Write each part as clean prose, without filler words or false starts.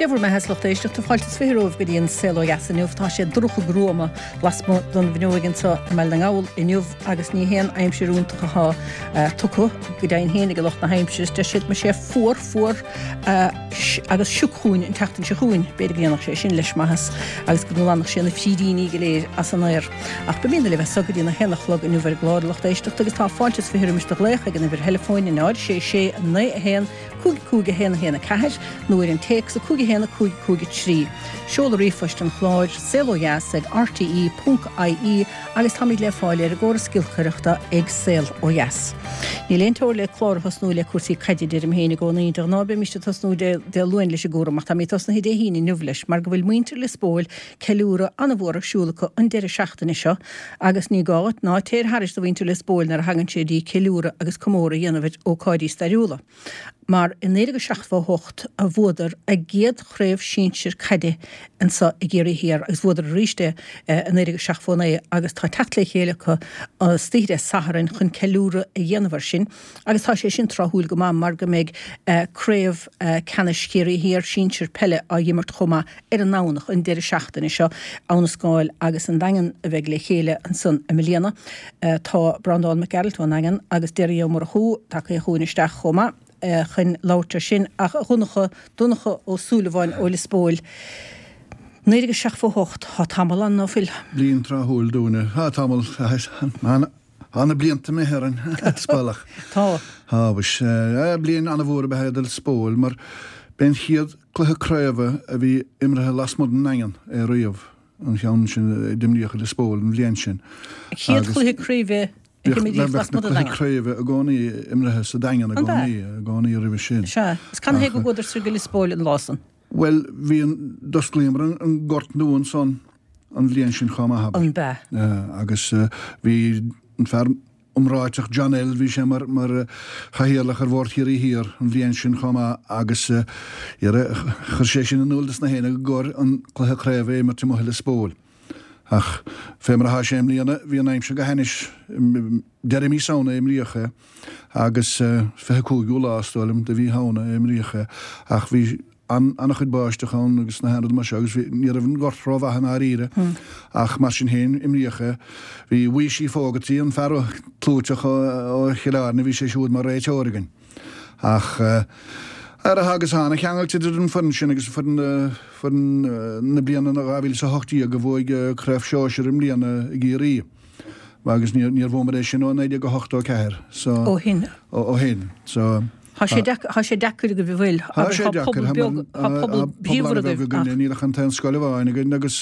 Dé bhur mbeatha a lucht éisteachta, fáilte is 20 romhaibh go dtí an Saol Ó Dheas inniu. Tá sé dorcha gruama lasmuigh den bhfuinneoig anseo i mBaile na nGall inniu agus ní haon aimsir iontach atá tugtha go deimhin féin ag lucht na haimsire. Deir siad go mbeidh sé fuar, fuar agus sioc chugainn an tseachtain seo chugainn. B'fhéidir go ndéanfadh sé sin leis maitheas agus go nglanfadh sé na frídíní go léir as an aer. Ach beimidne libh as so go dtí an 1 a chlog inniu ar an gclár, a lucht éisteachta, agus tá fáilte is 20 roimis do ghlaoch ag an uimhir theileafóin 0 6 6 9 1 5 5 1 1 4 nó ar an téacs 5 1 5 5 3. Seoladh ríomhphoist an chláir, saolodheas ag rte ponc ie agus táimid le fáil ar an gcóras giolcaireachta ag Saol Ó Dheas. Níl aon teora le clár a thosnú le cúrsaí caide, deirim féin i gcónaí. De ghnáth bímist ag tosnú Dé Luain leis an gcúram ach táimid tosnaithe Dé hAoine inniu leis mar go bhfuil muintir Lios Póil ceiliúradh an-mhór ar siúl acu an deireadh seachtaine seo agus ní gá dhuit ná téir thairis do mhuintir Lios Póil nuair a thagann sé dtí ceiliúradh agus comóradh a dhéanamh ar ócáidí stairiúla. Mar i 1978 a bhuadar a gcéad chraobh sinsir caide anso i gCiarraí Thiar agus bhuadar arís é i 1979 agus tá teacht le chéile acu istoíche Dé Sathairn chun ceiliúradh a dhéanamh ar sin agus tá sé sin tráthúil go maith mar go mbeidh craobh ceannais Chiarraí Thiar sinsir peile á dh'imirt chomh maith ar an nDomhnach, an deireadh seachtaine seo, Abha na Scáil agus an Daingean a bheidh le chéile ansan i mbliana. Tá Breandán Mac Gearailt ón nDaingean agus Derry Ó Murchú tagtha chugainn isteach chomh maith chun labhairt ar sin. Ach a Dhonncha, Donncha Ó Súilleabháin ó Lios Póil, 1978, tá tamall ann, ná fuil? Bliain tráthúil dúinne. Tá tamall, tá na blianta imithe orainn, is baolach. Tá. Tá, mhuis. Bliain an-mhór ab ea é do Lios Póil mar b'é an chéad cluiche craoibhe a bhí imeartha lasmuigh den nDaingean é riamh, an cheann sin a d'imríodh i Lios Póil an bhliain sin. An chéad chluiche craoibhe a himríodh lasmuigh den Daingean. Bheadh na cluichí craoibhe i gcónaí imeartha sa Daingean i gcónaí, i gcónaí roimhe sin. Sea. Is canathaobh go gcuadar soir go Lios Póil an lá san? Bhuel, bhí an, d'osclaíomar an gort nua ansan an bhliain sin chomh maith, abair. An b'ea? Agus bhí an fear iomráiteach John L. Bhí sé mar chathaoirleach ar Bhord Chiarraí Thiar an bhliain sin chomh maith agus chuir sé sin in iúl dos na héinne gur chóir an cluiche craoibhe a imirt amuigh i Lios Póil. Ach fé mar atá sé i mbliana, bhí an aimsir go hainnis. Deireadh mí Samhna a imríodh é agus 25ú lá, is dóigh liom, de mhí Shamhna a imríodh é ach bhí an-chuid báisteach ann agus na haon rud mar seo agus bhí, ní raibh an gort rómhaith i ndáiríre ach mar sin féin imríodh é. Bhí Weeshie Fogarty, an fear clúiteach ó Chill Airne, bhí sé siúd mar réiteoir againn. Ach ar a agus tá an-cheangal idir an foireann sin agus foireann foireann na bliana 2018 a bhuaigh Craobh Shóisir i mbliana i gCiarraí. Agus níor bhuamar é sin ó 1984 so Ó shin. Ó shin. So Tá sé deacair, tá sé deacair agaibh an bhfuil? Tá sé deacair, tá pobal beag, tá pobal bríomhar agaibh ach. Níl ach an t-aon scoil amháin againn agus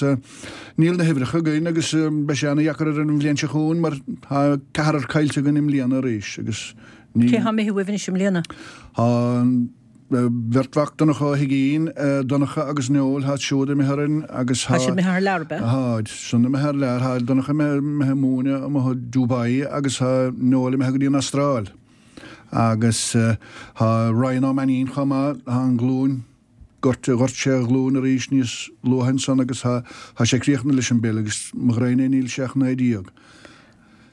níl na huimhreacha againn agus beidh sé ana-dheacair ar an bhliain seo chugainn mar tá ceathrar caillte againn i mbliana arís agus ní. Cé tá imithe uaibh anois i mbliana? Tá an bheirt mhac Donncha Ó hUiginn, Donncha agus Noel, tá siúd imithe orainn agus tá. Tá siad imithe thar lear, ab ea? Táid san imithe thar lear, tá Donncha imithe ag múineadh amuigh i Dubai agus tá Noel imithe go dtí an Astráil. Agus tá Ryan Ó Mainnín chomh maith, tá an ghlúin, ghoirt, ghoirt sé a ghlúin arís níos luaithe ansan agus tá, tá sé críochnaithe leis an bpeil agus mo ghraidhin é níl sé ach 19.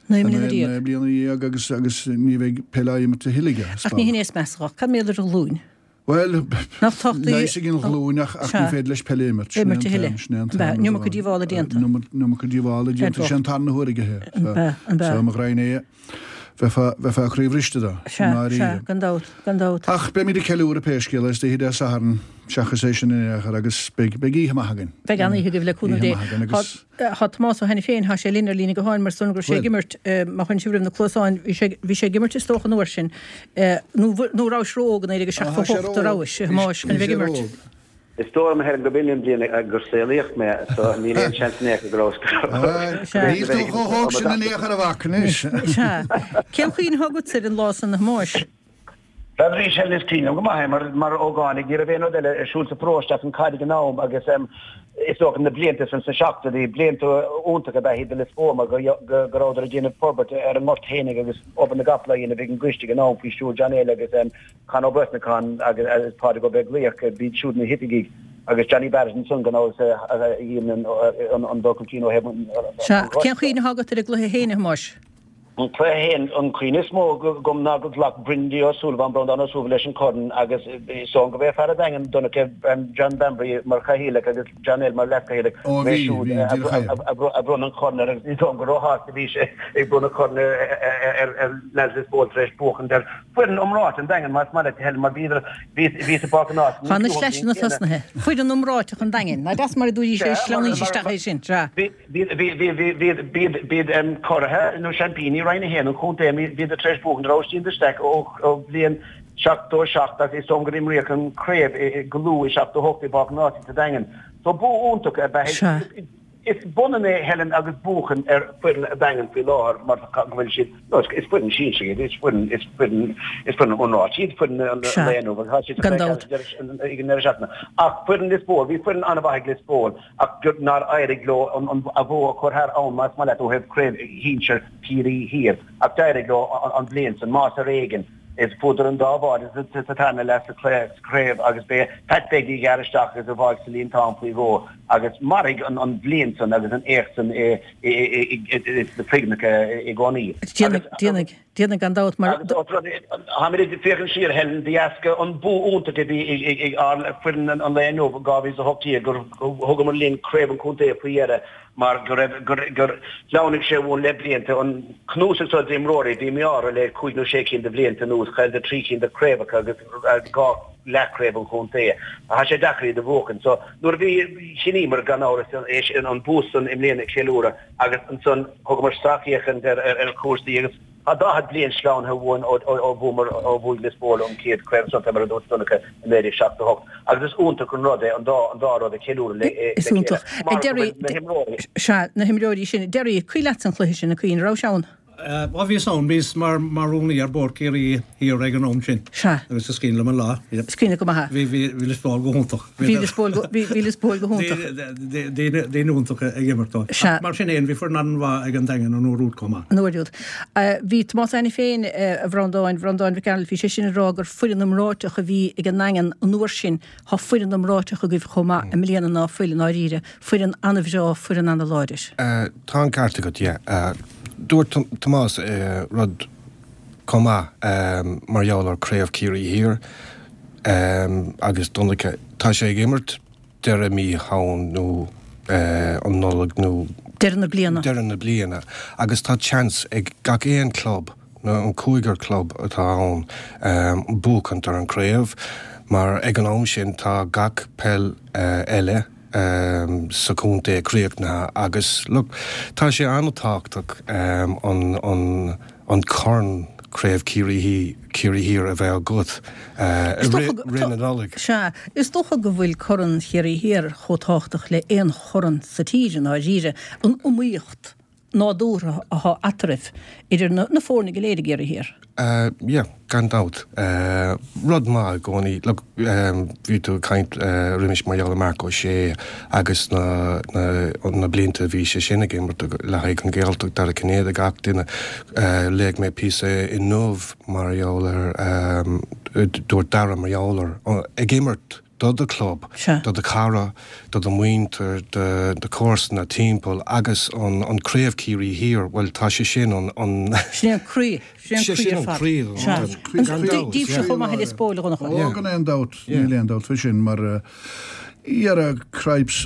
19 mbliana. 19 bliana agus, agus ní bheidh peil á imirt a thuilleadh aige, is Ach ní hin é is measa dhó. Cad mar gheall ar a ghlúin? Bhuel, leigheas ag an ghlúin ach ní féidir leis peil a imirt. Imirt a thuilleadh. Sin é an t-aon rud. An iomarca díobhála déanta. An iomarca díobhála déanta. Sin an tarna huair aige é. An b'ea, an b'ea. So, mo ghraidhin é, bheifeá croíbhriste dó. Sea, sea, gan dabht, gan dabht. Ach beimid ag ceiliúradh pé scéal é istoíche Dé Sathairn, seachas é sin in aon chor, agus beidh oíche maith againn. Beidh an-oíche agaibh le cúnamh Dé. Oíche maith againn agus. Tá Tomás Ó hAiniféin, tá sé linn ar líne gutháin mar is dóigh liom go raibh sé ag imirt, má chuireann sibh roimh na cluasáin, bhí sé, bhí sé ag imirt is dócha an uair sin, nó, nó rabhais ró-óg in 1978 a rabhais, a Thomáis, chun a bheith ag imirt? Is dóigh liom, a Helen, gurb in an bhliain gur saolaíodh mé, so níl aon seans in aon chor go rabhas, go raibh, Níl tú chomh hóg sin in aon chor a mhac anois. Sea. Cén chuimhne atá agatsa ar an lá san, a Thomáis? Bhuel arís Helen is cuimhin liom go maith é mar mar ógánaigh ní raibh aon rud eile ar siúl sa pharóiste ach an caid ag an am agus is dócha na blianta san sna seachtóidí, blianta iontacha ab ea iad do Lios Póil mar go go go rabhadar ag déanamh forbairt ar an ngort fhéinig agus obair na gcapall á dhéanamh ag an gcoiste ag an am faoi stiúir John L agus Con Ó Brosnacháin agus Pádraig Ó Beaglaoich, b'iad siúd na hoifigigh agus Johnny Barrett ansan gan amhras a dhein an dul chun cinn ó thaobh an Sea, cén chuimhne atá agat ar an gcluiche féin, a Thomáis? An cluiche féin, an cuimhne is mó agam ná gur ghlac Brindy Ó Súilleabháin, Breandán Ó Súilleabháin leis an chorn agus is dóigh gurb é fear an Daingin, Donncha, John Bambury mar chathaoirleach agus John L mar leaschathaoirleach, Ó b'é bhí, siúd bhí, díreach é. a bhronn an corn air agus ní dóigh liom gur róshásta a bhí sé ag bronnadh corn ar leaids Lios Póil tar éis buachaint ar foireann iomráiteach an Daingin más maith leat a Helen mar bhíodar, bhí sa bPáirc an Ásaigh Tá na sleaiseanna tosnaithe. Foireann iomráiteach an Daingin. Nach deas mar a dúirt sé, sleamhnaíonn sé isteach é sin. Sea. Bhí. B'iad curaithe nó seaimpíní Roinn 1 an chontae, bhíodar tar éis buachan Róisín de Staic ó bhliain 77 agus is dóigh liom gur imríodh an chraobh go luath i 78 i bPáirc an Ásaigh sa Daingean. So bua iontach ab ea é. Is b'ionann é Helen agus buachan ar foireann an Daingin faoi láthair mar go bhfuil siad, no is foireann sinsear iad, is foireann, is foireann, is foireann iomráiteach iad foireann an lae inniu agus tá siad ag an ndeireadh seachtaine. Ach foireann Lios Póil, bhí foireann an-mhaith ag Lios Póil. ach gur nár éirigh leo a bhua a chur thar abhainn, más maith leat, ó thaobh Craobh Shinsir Chiarraí Thiar, ach d'éirigh leo an bhliain san, más ar éigean, is fuaireadar an dá bháide sa tarna leath sa chraobh agus b'é Pat Begley a ghearr isteach agus a bháigh sa líontán faoi dhó agus mairfidh an bhliain san agus an éacht san sna cuimhneacha i gcónaí. Déanfaidh. Déanfaidh, gan dabht, mar. Agus ós rud é, táimid ag féachaint siar, Helen, de dheasca an bua iontach a bhí ag ár foireann an lae inniu, 2018, gur thugamar linn craobh an chontae faoi dheireadh mar go raibh, gur, gur shleamhnaigh sé uainn le blianta. An cnuasach seo d'imreoirí, bhí mí-ádh orthu le cúig nó sé cinn de bhlianta anuas, chailleadar trí cinn de chraobhacha agus dhá leathchraobh an chontae. Tá sé deacair iad a bhuachan. So, nuair a bhí, chinníomar gan amhras é sin, an bua san i mbliana a cheiliúradh. Agus ansan thugamar sracfhéachaint ar chúrsaí agus tá 40 bliain sleamhnaithe uainn ó bhuamar, ó bhuaigh Lios Póil an chéad chraobh chontae mar a dúirt Donncha i 1978 agus is iontach an rud é an dá an dá rud a cheiliúradh le Is chéile iontach. mar go bhfuil na himreoirí. Sea, na himreoirí sin. Derry, cuimhin leatsa an cluiche sin, a Chuinn, raibh sé ann? Ó bhíos ann, bhíos mar mar rúnaí ar Bhord Ciarraí Thiar ag an am sin. Sea. Agus is cuimhin liom an lá. Is cuimhin leat go maith é. Bhí bhí bhí Lios Póil go hiontach. Bhí Lios Póil go bhí bhí Lios Póil go hiontach. Daoine daoine iontacha ag imirt dóibh. Sea. Ach mar sin fhéin bhí foireann an-mhaith ag an Daingean an uair úd chomh maith. An uair úd. Bhí Tomás Ó hAiniféin, a Bhreandáin, Breandán Mhic Gearailt, bhí sé sin ag rá gur foireann iomráiteach a bhí ag an nDaingean an uair sin. Tá foireann iomráiteach agaibh chomh maith i mbliana ná fuil, i ndáiríre. Foireann an-bhreá, foireann an-láidir. Tá an ceart agat, yeah. Dúirt Tomás rud chomh maith mar gheall ar Craobh Chiarraí Thiar agus Donncha, tá sé ag imirt deireadh mí Shamhain nó an Nollaig nó Deireadh na bliana. deireadh na bliana agus tá seans ag gach aon club nó an cúigear club atá ann buachaint ar an craobh mar ag an am sin tá gach peil eile sa chontae críochnaithe agus look tá sé an-tábhachtach an an an corn Craobh Chiarraí Chiarraí Thiar a bheith agat i rith rith na Nollag. Sea, is dócha go bhfuil Corn Chiarraí Thiar chomh tábhachtach le aon chorn sa tír i ndáiríre, an iomaíocht nádúrtha athá eatarthu, idir na na foirne go léir i gCiarraí Thiar. Yeah, gan dabht. Rud maith i gcónaí, look, bhí tú ag caint roimis mar gheall ar Marc Ó Sé agus na na na blianta a bhí sé sin ag imirt le haghaidh an Ghaeltacht, Dara Cinnéide, gach duine. Léigh mé píosa inniu mar gheall ar, dúirt Dara mar gheall ar, ag imirt do do chlub, do do chara, do do mhuintir, do do chomharsana timpeall agus an an Craobh Ciarraí Thiar, bhuel tá sé sin an an. Sin é an croí, sin é an croí ar fad. Sea. Gan dabht. Díbhse chomh maith i Lios Póil, a Dhonncha. Ó, gan aon dabht, níl aon dabht faoi sin mar dhera cripes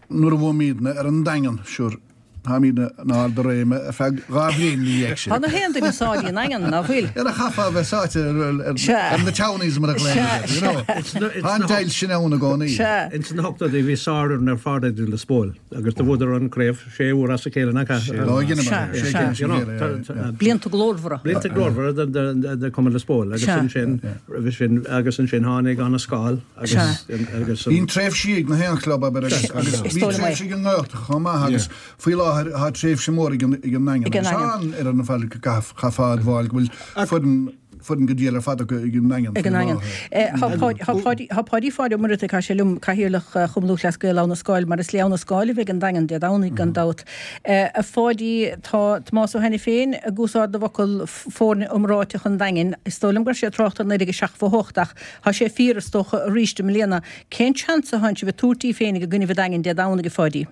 nuair a bhuaimídne ar an Daingean, sure, Táimid in ard a réime ar feadh 2 bhliain ina dhiaidh sin. Tá na haon duine sáite i nDaingean, ná fuil? Dhera chaithfeá a bheith sáite ar na townies mar a ghlaonn iad, you know. Tá an deighilt sin ann i gcónaí. Ins na hochtóidí bhí sárfhoireann ar fad ag Lios Póil agus do bhuadar an craobh sé uair as a chéile nach ea? Lá dheineamar é, sé cinn as a chéile, yeah. Blianta glórmhara. Blianta glórmhara do Chumann Lios Póil agus ansin roimhe sin agus ansin tháinig Abha na Scáil agus agus an. Bíonn tréimhsí ag na haon chlub abair agus agus bhí tréimhse ag an nGaeltacht chomh maith agus faoi láthair tá tréimhse mór ag an ag an nDaingean agus tá an ar an fad chaithfeá a admháil go bhfuil foireann foireann go diail ar fad acu ag an nDaingean Ag an nDaingean. Tá Páidí Pháid Ó Muireadhaigh, tá sé liom, Cathaoirleach Chumann Lúthchleas Gael Abha na Scáil, mar is le Abha na Scáil a bheidh an Daingean Dé Domhnaigh gan dabht. A Pháidí, tá Tomás Ó hAiniféin ag úsáid na bhfocal foirne iomráiteach an Daingin. Is dóigh liom go raibh sé ag trácht ar 1978 ach Tá sé fíor, is dócha, arís i mbliana. Cén seans atánn sibh ag tabhairt daoibh féinig i gcoinnibh an Daingin Dé Domhnaigh, a Pháidí?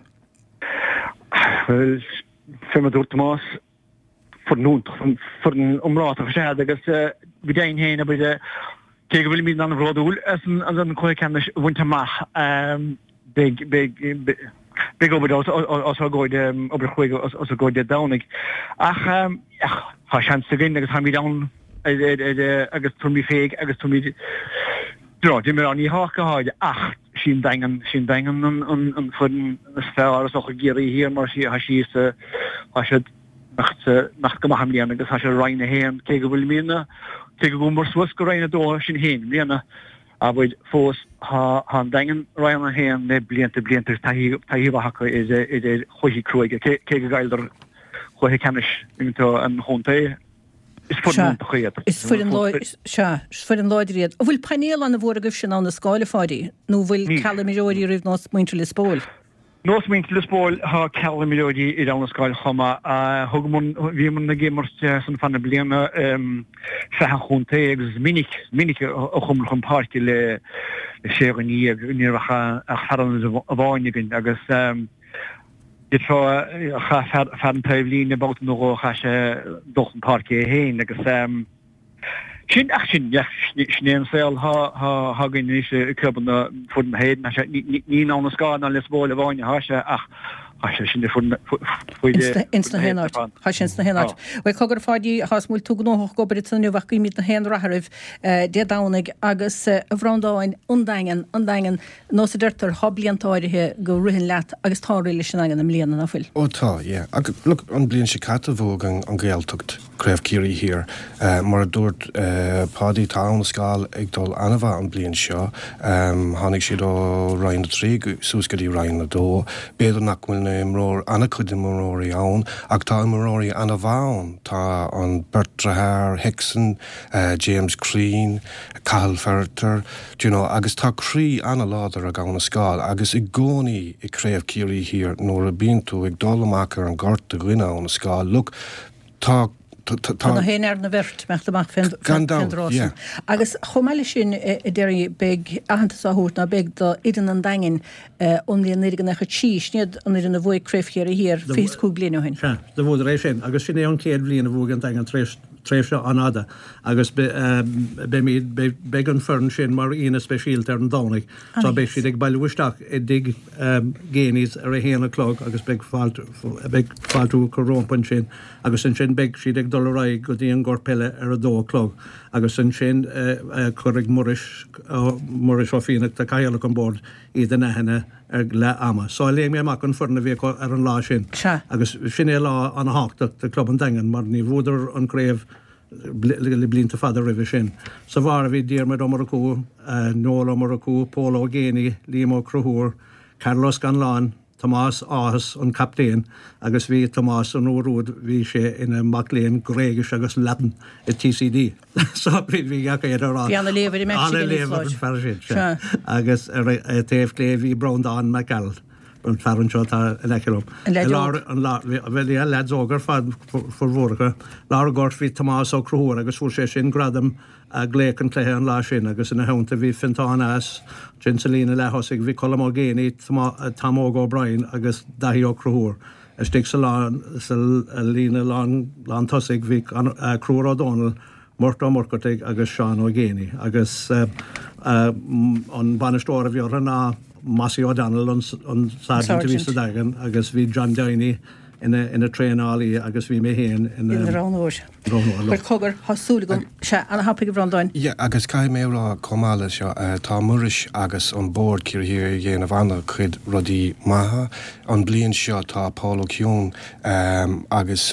Bhuel, fé mar a dúirt Tomás, Foireann iontach, foireann iomráiteach is ea iad agus go deimhin féin, abair, cé go bhfuilimid an-bhródúil as an cluiche ceannais a bhaint amach, beidh, beidh, beidh obair os ár gcomhair, obair chruaidh os ár gcomhair Dé Domhnaigh. Ach tá seans againn agus táimid ann agus tabharfaimid fé agus tabharfaimid, you know, d'imir ní ach go háirithe ach sí an Daingean, sí an Daingean an foireann is fearr is dócha i gCiarraí Thiar mar tá sí sa, tá siad imeacht go maith i mbliana agus tá siad i Roinn 1 cé go bhfuilimid, cé go gcuamar suas go Roinn 2 sinn féin i mbliana, abair, fós tá an Daingean i Roinn 1 le blianta blianta agus taithí taithí mhaith acu ar chluichí cruaidh cé go gcailleadar cluiche ceannais an chontae. Is foireann iontach iad. Is foireann láidir, sea, is foireann láidir iad. An bhfuil painéal an-mhór agaibhse in Abha na Scáil, a Pháidí, nó an bhfuil ceal imreoirí oraibh nós muintir Lios Póil? Nós muintir Lios Póil, tá ceal imreoirí ar Abha na Scáil chomh maith. Thugamar, bhíomar ag imirt san fad na bliana sraith an chontae agus is minic, minic a chuamar chun páirce le sé dhuine dhéag, ní raibh ach fear ionaid amháin againn agus d'fhéadfá, chaith fear an taobh líne babhta nó dhó, chaith sé dul chun páirce é féin agus. Sin, ach sin, sin é an saol atá againn anois i gclubanna foireann na hÉireann. Tá sé, ní in Abha na Scáil ná Lios Póil amháin atá sé ach tá sé sin i foireann Ins na haon áit. Tá sé ins na haon áit. Bhuel, cogar a Pháidí, tá 's agam go bhfuil tú gnóthach ag obair ansan inniu ach guímid na haon rath oraibh Dé Domhnaigh agus a Bhreandáin, an Daingean, an Daingean, nós a deirtear, tá blianta áirithe go ritheann leat agus tá ag rith leis an nDaingean i mbliana, ná fuil? Ó tá, yeah. Ach look, an bliain seo caite bhuaigh an Ghaeltacht. Craobh Chiarraí Thiar. Mar a dúirt Páidí, tá Abha na Scáil ag dul an-mhaith an bliain seo. Tháinig siad ó Roinn 3 suas go dtí Roinn 2. B'fhéidir nach bhfuil na imreoir, an-chuid imreoirí ann, ach tá imreoirí an-mhaith ann. Tá an beirt deartháir Hickson, James Crean, Cathal Ferriter, do you know, agus tá croí an-láidir ag Abha na Scáil agus i gcónaí i Craobh Chiarraí Thiar nuair a bíonn tú ag dul amach ar an ngort i gcoinne Abha na Scáil, look, Tá, tá, tá. Tá na haon fhear na bheirt imeacht amach fén Gan dabht, dtráth yeah. san. Agus chomh maith leis sin, a Derry, beidh aitheantas á thabhairt, ná beidh, do fhoireann an Daingin ón mbliain 1993, sin iad an fhoireann a bhuaigh Craobh Chiarraí Thiar fiche is cúig bliain ó shin. Sea, do bhuadar é sin agus sin é an chéad bhliain a bhuaigh an Daingean tar éis tréimhse an-fhada agus beimid, beidh an foireann sin mar aíonna speisialta ar an Domhnach so beidh siad ag bailiú isteach i dtigh Geaney's ar a haon a chlog agus beidh fáilte, beidh fáiltiú acu rompu ansin agus ansin beidh siad ag dul ar aghaidh go dtí an gort peile ar a dó a chlog agus ansin cuirfidh Muiris, Muiris Ó Fiannachta, Cathaoirleach an Bhoird, iad in aithne ag leath ama. So léigh mé amach an foireann a bhí acu ar an lá sin agus sin é lá an-thábhachtach do chlub an Daingin mar ní bhuadar an craobh le blianta fada roimhe sin. Sa bharr a bhí Diarmuid Ó Murchú, Noel Ó Murchú, Pól Ó Géibheannaigh, Liam Ó Conchúir, Karl Ó Scanláin, Tomás Ághas, an captaen, agus bhí Tomás an uair úd bhí sé ina mac léinn Gréigis agus Laidin i TCD. So bhí bhí gach éinne ag rá. Bhí ana-léamh ar an mbeart sin, Ana-léamh ar an fear sin, sea. Agus ar a taobh clé bhí Breandán Mac Gearailt. an fear anseo atá in aice liom. An leaid óg. An bhuel yeah, leaids óga ar fad formhór acu. Lár an ghoirt bhí Tomás Ó Conchúir agus fuair sé sin gradam laoch an chluiche an lá sin agus ina theannta bhí Fiontán As, ansin sa líne leath-thosaigh bhí Colm Ó Géibheannaigh, Tom Óg O'Brien agus Daithí Ó Conchúir. Istigh sa lán sa líne lán lán tosaigh bhí Conchúr Ó Dónaill, Murt Ó Murcartaigh agus Seán Ó Géibheannaigh agus an bainisteoir a bhí orthu ná Mossy O'Donnell an sergeant a bhí sa Daingean agus bhí John Downey ina traenálaí agus bhí mé féin ina roghnóir. Bhuel cogar, tá súil agam, sea, ana-thapaidh a Bhreandáin. Yeah, agus caithfidh mé a rá chomh maith le seo, tá Muiris agus an Bord Ciarraí Thiar ag déanamh an-chuid rudaí maithe. An bliain seo tá Paul Ó Keown agus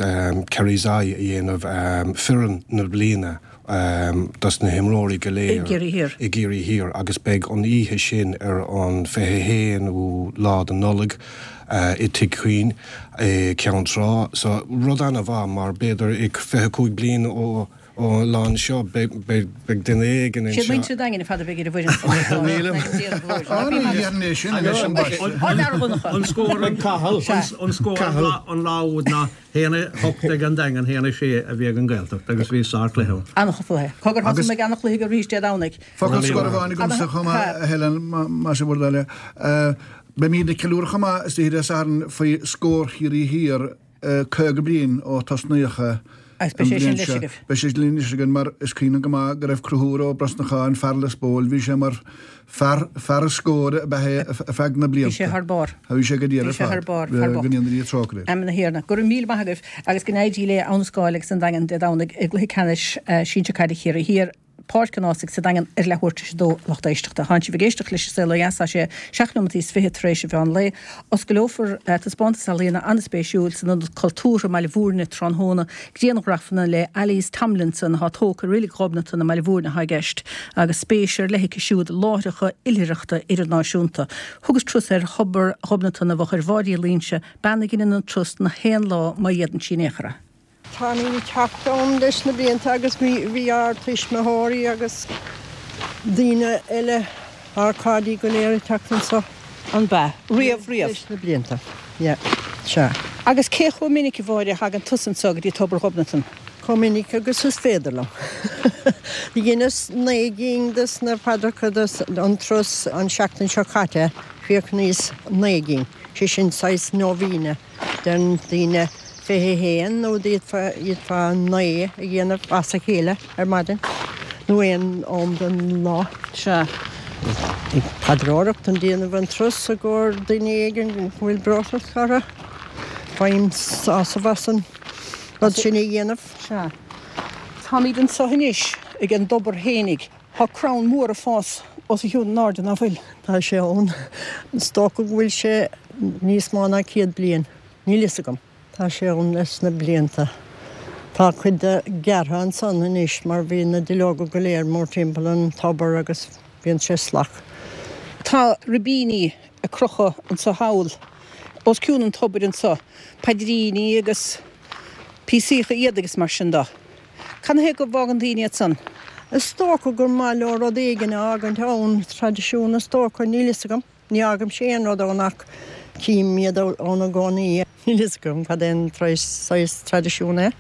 Kerry's Eye a dhéanamh foireann na bliana dos na himreoirí go léir i gCiarraí Thiar agus beidh an oíche sin ar an 21ú lá de Nollaig i Tigh Quinn i Ceann Trá. So rud ana-mhaith mar b'fhéidir i 25 bliain ó Ón lá anseo, beidh duine éigin anseo. Siad muintir an Daingin ar fad a bheidh ar an bhfoireann san. Nílim. Ní dhéarfainn é sin anois, ambaiste. An scór ag Cathal. An scór an lá úd ná 1-8 ag an Daingean, 1-6 a bhí ag an Ghaeltacht agus bhí sárchluiche ann. An-chluiche. Cogar thosaigh mé ag an-chluiche arís Dé Domhnaigh. Focal scoir amháin agamsa chomh maith, a Helen, más é bhur dtoil é. Beimid ag ceiliúradh chomh maith istoíche Dé Sathairn faoi Scór Chiarraí Thiar 50 bliain ó tosnaíodh é. Agus beidh sé sin leis agaibh. Beidh sé linn anois againn mar is cuimhin liom go maith go raibh Conchúr Ó Brosnacháin, fear Lios Póil, bhí sé mar fear, fear an scóir ab ea é ar feadh na blianta. Bhí sé thar barr. Bhí sé go diail ar fad. Bhí sé thar barr, fear bocht. Go ndéana Dia trócaire air. Amen a Thiarna. Go raibh míle maith agaibh agus go n-éirí le Abha na Scáil agus an Daingean Dé Domhnaigh i gcluiche ceannais sinsir caide Chiarraí Thiar. Páirc an Ághasaigh sa Daingean ar leathuair tar éis a dó a lucht éisteachta. Tánn sibh ag éisteacht leis an Saol Ó Dheas, tá sé seacht nóimeataí is fiche tar éis an mheán lae. Oscaileofar taispeántas ealaíona an-spéisiúil san Ionad Cultúrtha i mBaile Bhúirne tráthnóna. Grianghrafanna le Alys Tomlinson atá tógtha i Reilig Ghobnatan i mBaile Bhúirne atá i gceist agus spéis ar leith aici siúd i láithreacha oilithreachta idirnáisiúnta. Thugas turas ar Thobar Ghobnatan i bhfochair Mháire Uí Loingsigh, bean a dheineann an turas na haon lá má fhéadann sí in aon chor é. Táimid ag teacht ann leis na blianta agus bhí ár tuismitheoirí agus daoine eile, ár cairde go léir ag teacht anso. An b'ea? Riamh, riamh? Leis na blianta, yeah, sea. Agus cé chomh minic, a Mháire, a thagann tusa anso go dtí Tobar Ghobnatan? Chomh minic agus is féidir liom. Dheineas 9 gcinn des na paidreacha des an turas an seachtain seo caite, chríochnaíos 9 gcinn, sé sin saghas nóibhíne. Deireann daoine 21 nó d'fhéadfá 9 a dhéanamh as a chéile ar maidin nó aon am den lá. Sea. Ag paidreoireacht ag déanamh an turas i gcomhair duine éigin go bhfuil breoiteacht orthu. Faighim sásamh as an rud sin a dhéanamh. Sea. Táimid anseo anois ag an dtobar fhéinig. Tá crann mór ag fás os a chionn in airde, ná fuil? Tá sé ann. Is dócha go bhfuil sé níos mó ná 100 bliain. Níl fhios agam. Tá sé ann leis na blianta. Tá cuid de gearrtha ansan anois mar bhí na duilleoga go léir mórtimpeall an tobar agus bíonn sé salach. Tá ribíní ag crochadh anso thall, os cionn an tobair anso, paidríní agus píosaíocha éadaigh is mar sin do. Cad 'na thaobh go bhfágann daoine iad san? Is dócha gur maith leo rud éigin a fhágaint ann, traidisiún is dócha, níl fhios agam. Ní fhágaimse aon rud ann ach cím iad ann i gcónaí. Níl fhios agam cad é an saghas traidisiún é.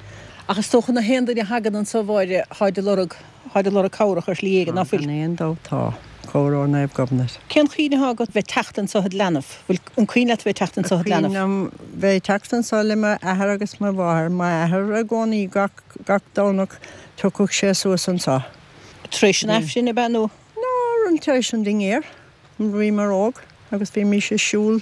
Ach is dócha na haon duine a thagann anso, a Mháire, tháid ag lorg, tháid ag lorg cabhrach ar shlí éigin, ná fuil? Gan aon dabht tá. Cabhair ó Naomh Gobnait. Cén chuimhne atá agat bheith teacht anso id leanbh? Bhfuil, an cuimhin leat bheith teacht anso id leanbh? Is cuimhin liom bheith ag teacht anso le m'athair agus mo mháthair. M'athair i gcónaí gach, gach Domhnach tiocfadh sé suas anso. Tar éis an Aifrinn, ab ea, nó? Nó tar éis an dinnéir. Bhíomar óg agus bhímís ag siúl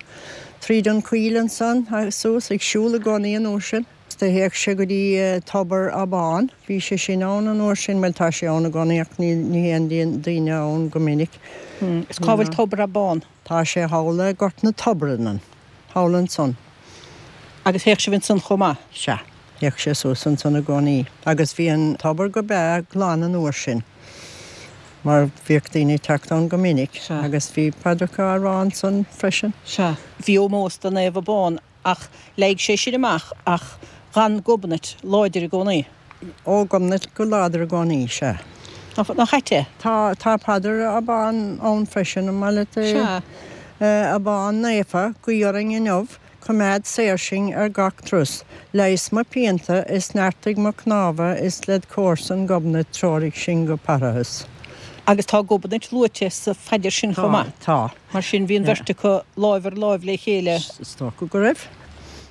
tríd an choill ansan agus suas, ag siúl i gcónaí an uair sin. Do théadh sé go dtí Tobar Abán, bhí sé sin ann an uair sin, bhuel tá sé ann i gcónaí ach ní théann daoine ann go minic. Is cá bhfuil Tobar Abán? Tá sé thall i Gort na Toibreann, thall ansan. Agus théadh sibh ansan chomh maith? Sea, théadh sé suas ansan i gcónaí. Agus bhí an tobar go breá glan an uair sin, mar bhíodh daoine ag teacht ann go minic. Sea. Agus bhí paidreacha á rá ansan freisin. Sea. Bhí ómós do Naomh Abán Ach leig sé sin amach ach dh'fhan Gobnait láidir i gcónaí. Ó, Gobnait go láidir i gcónaí, sea. Nach ait é? Tá, tá paidir Abán ann freisin, an maith leat é? Sea. A Abán naofa, guí orainn inniu, coimeád saor sinn ar gach turas. Leigheas mo phianta is neartaigh mo chnámha is led chomharsan Gobnait treoraigh sinn go parthas. Agus tá Gobnait luaite sa phaidir sin chomh maith. Tá, tá. Mar sin, bhí an bheirt acu láimh ar láimh le chéile. Is dócha go raibh.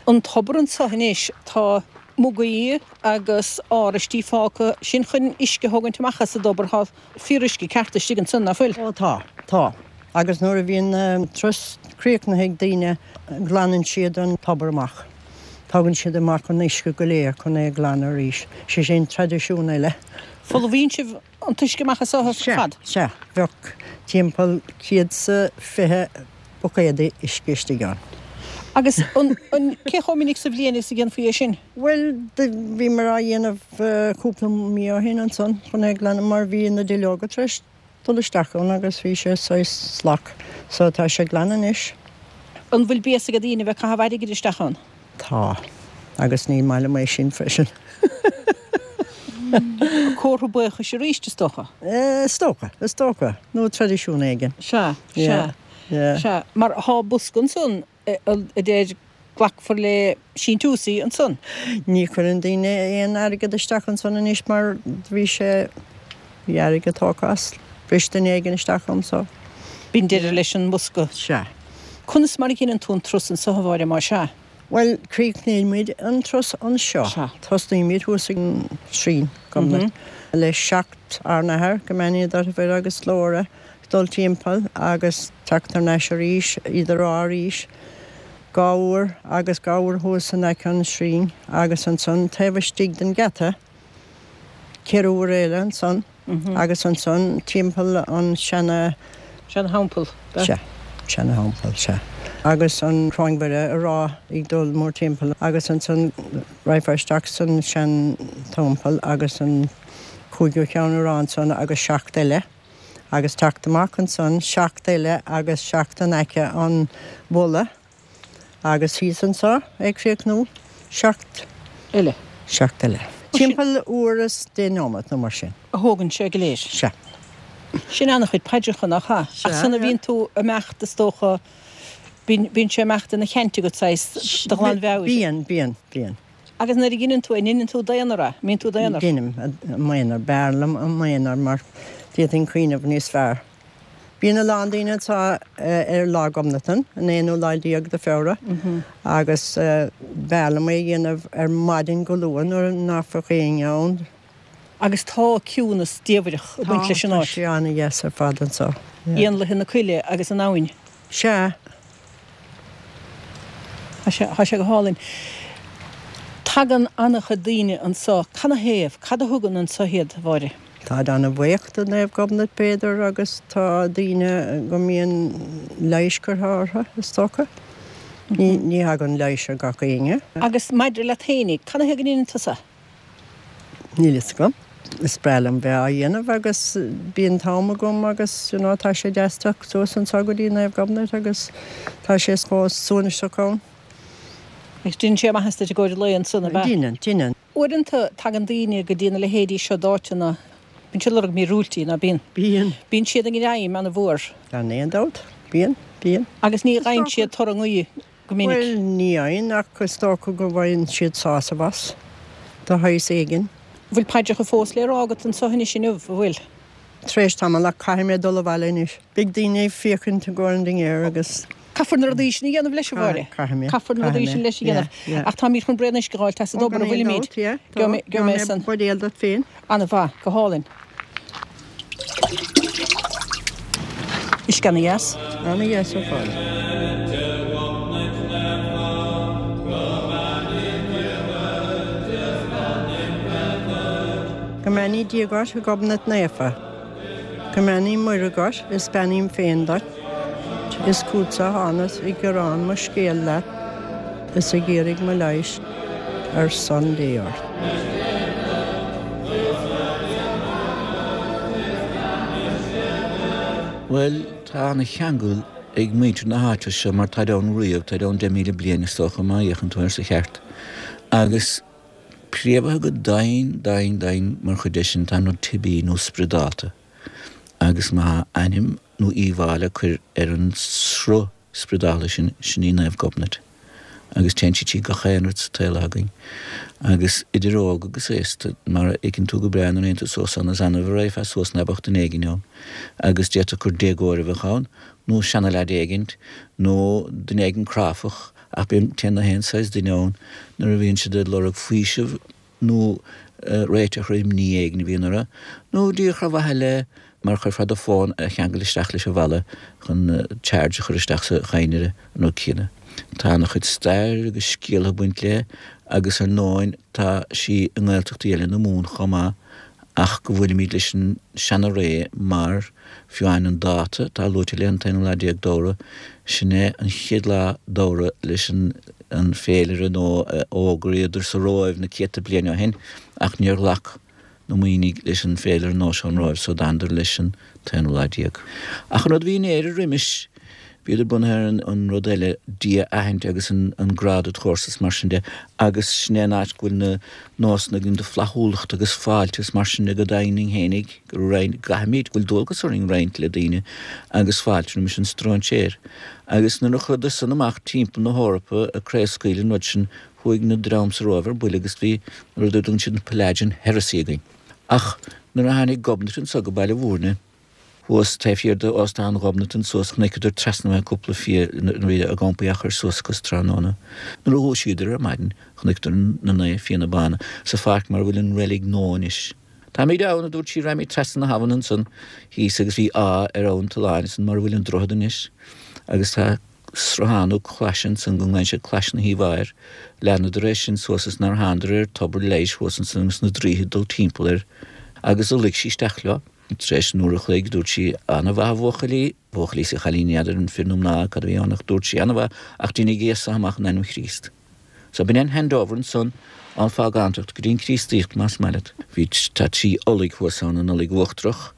An tobar anso anois, tá mugaí agus áraistí fágtha, sin chun uisce a thógaint amach as an dtobar. Tá fíoruisce ceart istigh ansan, ná fuil? Ó tá, tá. Agus nuair a bhíonn an turas críochnaithe ag daoine, glanann siad an tobar amach. Tógann siad amach an uisce go léir chun é a ghlanadh arís. Sé sin traidisiún eile. Folmhaíonn sibh an t-uisce amach as ar fad? Sea, bheadh timpeall 120 buicéad uisce istigh ann. Agus an, an, cé chomh minic sa bhliain is a dhéanfaí é sin? Bhuel, bhíomar á dhéanamh cúpla mí ó shin ansan chun é a ghlanadh mar bhí na duilleoga tar éis dul isteach ann agus bhí sé saghas salach. So tá sé glan anois. An bhfuil béas ag daoine a bheith ag caitheamh airgid isteach ann? Tá. Agus ní maith liom é sin freisin. Comhartha buíochais arís, is dócha? Is dócha, is dócha. Nó traidisiún éigin. Sea, sea, sea. Mar thá bosca ansan a deir glacfar le síntiúsaí ansan. Ní chuireann daoine aon airgead isteach ansan anois mar bhí sé, bhí airgead tógtha as. Bhris duine éigin isteach ann so. B'in deireadh leis an mbosca. Sea. Conas mar a dheineann tú an turas anso, a Mháire, más ea? Bhuel, críochnaímid an turas anseo. Tosnaímid thuas ag an shrine, Gobnait, le seacht Ár nAthair, Go mbeannaí Dia duit a Mhuire agus Glóire, dul timpeall agus teacht thar n-ais arís, iad a rá arís, dhá uair agus dhá uair thuas in aice an shrine agus ansan taobh istigh den gheata, ceithre huaire eile ansan. Agus ansan timpeall an seana. Seana-theampall, b'ea? Sea, seana-theampall, sea. Agus an Choróin Mhuire a rá ag dul mórtimpeall agus ansan raghfá isteach san sean-teampall agus an cúigiú ceann a rá ansan agus seacht eile agus teacht amach ansan, seacht eile agus seacht in aice an bhulla. Agus thíos anseo ag críochnú, seacht eile. Seacht eile. Timpeall uair is deich nóiméad nó mar sin. A thógann sé go léir. Sea. Sin an-chuid paidreacha, nach ea? Sea. Ach sula mbíonn tú ag imeacht, is dócha, bíonn, bíonn sé ag imeacht ina cheant agat, saghas, de ghlanmheabhair. Bíonn, bíonn, bíonn. Agus nuair a dheineann tú é, an ndeineann tú d'aonar é? An mbíonn tú d'aonar? Deinim, i m'aonar. B'fhearr liom i m'aonar mar d'fhéadfainn cuimhneamh níos fearr. Bíonn a lán daoine anseo ar Lá Ghobnatan, an aonú lá déag de Feabhra, agus b'fhearr liom é a dhéanamh ar maidin go luath nuair nach bheadh éinne ann. Agus tá ciúnas diamhrach ag baint leis an áit. Tá, tá sé an-dheas ar fad anseo. Éanlaithe na coille agus an abhainn. Sea. Tá sé, tá sé go hálainn. Tagann an-chuid daoine anso. Canathaobh? Cad a thugann anso iad, a Mháire? Táid an-bhuíoch do Naomh Gobnait, b'fhéidir, agus tá daoine go mbíonn leighis curtha orthu, is dócha. Ní, ní thagann leighis ar gach éinne. Agus maidir leat fhéinig, canathaobh go ndeineann tusa? Níl fhios agam. Is breá liom bheith á dhéanamh agus bíonn t-am agam agus you know tá sé deas teacht suas anseo go dtí Naomh Gobnait agus tá sé chomh suaimhneach ann. Agus déanann sé maitheas duit i gcomhair an lae ansan, ab ea? Déanann, déanann. Uaireanta tagann daoine go dtí na leithéidí seo d'áiteanna, bíonn siad ag lorg míorúiltí, ná bíonn? Bíonn. Bíonn siad i ngreim ana-mhór. Gan aon dabht, bíonn, bíonn. Agus ní fhaigheann siad toradh a nguí. go minic. Bhuel, ní fhaigheann, ach is dócha go bhfaigheann siad sásamh as, de shaghas éigin. Bhfuil paidreacha fós le rá agat anso anois inniu, an bhfuil? Tar éis tamaill, ach caithfidh mé dul abhaile anois. Beidh daoine ag féachaint i gcomhair an dinnéir agus. Caithfear na rudaí sin a dhéanamh leis, a Mháire. Caithfidh mé. Caithfear na rudaí sin leis a dhéanamh. Ach táimid chun braon uisce a dh'fháilt as an dtobar, an bhfuilimid? Ó, gan aon dabht, yeah. Tá. Gheobhaidh mé buidéal duit féin. Ana-mhaith. Go hálainn. Uisce ana-dheas. Ana-dheas ar fad. Go mbeannaí Dia dhuit, a Ghobnait Naofa. Go mbeannaí Muire dhuit is beannaím féin duit. Is chútsa a thánas ag gearán mo scéil leat is ag iarraidh mo leighis ar son Dé ort. Bhuel, tá ana-cheangal ag muintir na háite seo mar táid ann riamh, táid ann 10,000 bliain is dócha má fhéachann tú air sa cheart. Agus préamhaithe go domhain, domhain, domhain mar chuid de sin tá an rud teibí nó spioradálta. Agus má tá ainm nó íomhá le cur ar an sruth spioradálta sin, sin í Naomh Gobnait. Agus téann sí trí gach aon rud sa tsaol againn. Agus idir óg agus aosta, mar a fheiceann tú go breá nuair a théann tú suas ann, is annamh a raghfá suas ná beadh duine éigin ann. Agus d'fhéadfadh gur déagóir a bheadh ann, nó seana-leaid éigint, nó duine éigin cráifeach, ach bíonn, téann na haon saghas duine ann nuair a bhíonn siad ag lorg faoiseamh nó réiteach ar imní éigin a bhíonn orthu, nó díreach ar mhaithe le, mar chuirfeá do fón a cheangal isteach leis an bhalla chun charge a chur isteach sa chadhnra, an rud céanna. Tá ana-chuid stair agus scéaltha ag baint léi agus ar ndóin tá sí i nGaeltachtaí eile na Mumhan chomh maith ach go bhfuilimid leis an seana-ré mar, fiú amháin an dáta atá luaite léi, an t-aonú lá déag d'Fheabhra, sin é an chéad lá d'Fheabhra leis an an féilire nó a fhógraíodar sa Róimh na céadta bliain ó shin ach níor ghlac na Muimhnigh leis an féilire nua seo ón Róimh so d'fhanadar leis an t-aonú lá déag. Ach an rud a bhí in Éire roimis, bhíodar bunaithe ar an rud eile, Dia a aithint agus an grá dod chomharsa is mar sin de agus sin é an áit go bhfuil na nósanna againn de flaithiúlacht agus fáilte is mar sin de go deimhin fhéinig go roinn, gcaithfimid, go bhfuil dualgas orainn roinnt le daoine agus fáilte roimis an stróinséir. Agus nuair a chuadar san amach timpeall na hEorpa ag craobhscaoileadh an rud sin chuaigh na dream sa Róimh ar buile agus bhí an rud a dtugann siad an Pelagian heresy againn. Ach nuair a tháinig Gobnait anso go Baile Mhúirne. Thuas taobh thiar de Óstán Ghobnatan suas chonaiceadar trasna uathu cúpla fia nuair a bhí a gcampaí á chur suas acu sa tráthnóna. Nuair a dhúisíodar ar maidin chonaiceadar na naomh fianna bána sa pháirc mar a bhfuil an reilig nua anois. Táimid ann, a dúirt sí, raghaimid trasna na habhann ansan thíos agus bhí áth ar abhainn Tulláin ansan mar a bhfuil an droichead anois agus tá sruthán nó clais ansan go nglaonn siad Clais na hAoibh air. Leanadar é sin suas is nár thánadar ar tobar leighis thuas ansan agus na draoithe ag dul timpeall air agus do luigh sí isteach leo. Tar éis an uair a chloig dúirt sí, Ana mhaith a bhuachaillí, buachaillí is a chailíní, n'fheadar an fir nó mná cad a bhí ann ach dúirt sí, Ana mhaith ach deinigí as so amach in ainm Chríost. So b'in an handover ansan ón phágántacht go dtí an Críostaíocht más maith leat. Bhí, tá trí Ulaidh thuas ann, an Ulaidh Uachtarach,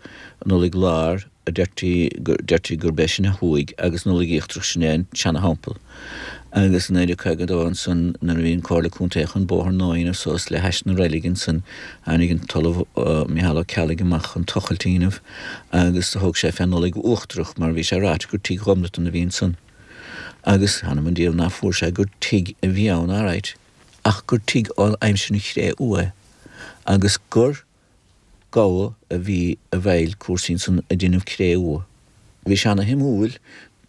an Ulaidh Láir, a deirtí, deirtí gurb é sin a thuaidh agus an Ulaidh Íochtarach sin é an tseana-theampall. Agus i 1952 ansan nuair a bhí an Comhairle Contae chun bóthar nua a dhéanamh suas le hais na reilige ansan tháinig an tOllamh Micheál Ó Ceallaigh amach chun tochailt a dhéanamh agus do thóg sé fén Ulaidh Uachtarach mar bhí sé ráite gur tigh Ghobnatan a bhí ansan. Agus th'anam 'on diabhal ná fuair sé gur tigh a bhí ann alright ach gur tigh ó aimsir na Chré-Umha é agus gur gabha a bhí i bhfeighil cúrsaí ansan ag déanamh cré-umha. Bhí sé ana shuimiúil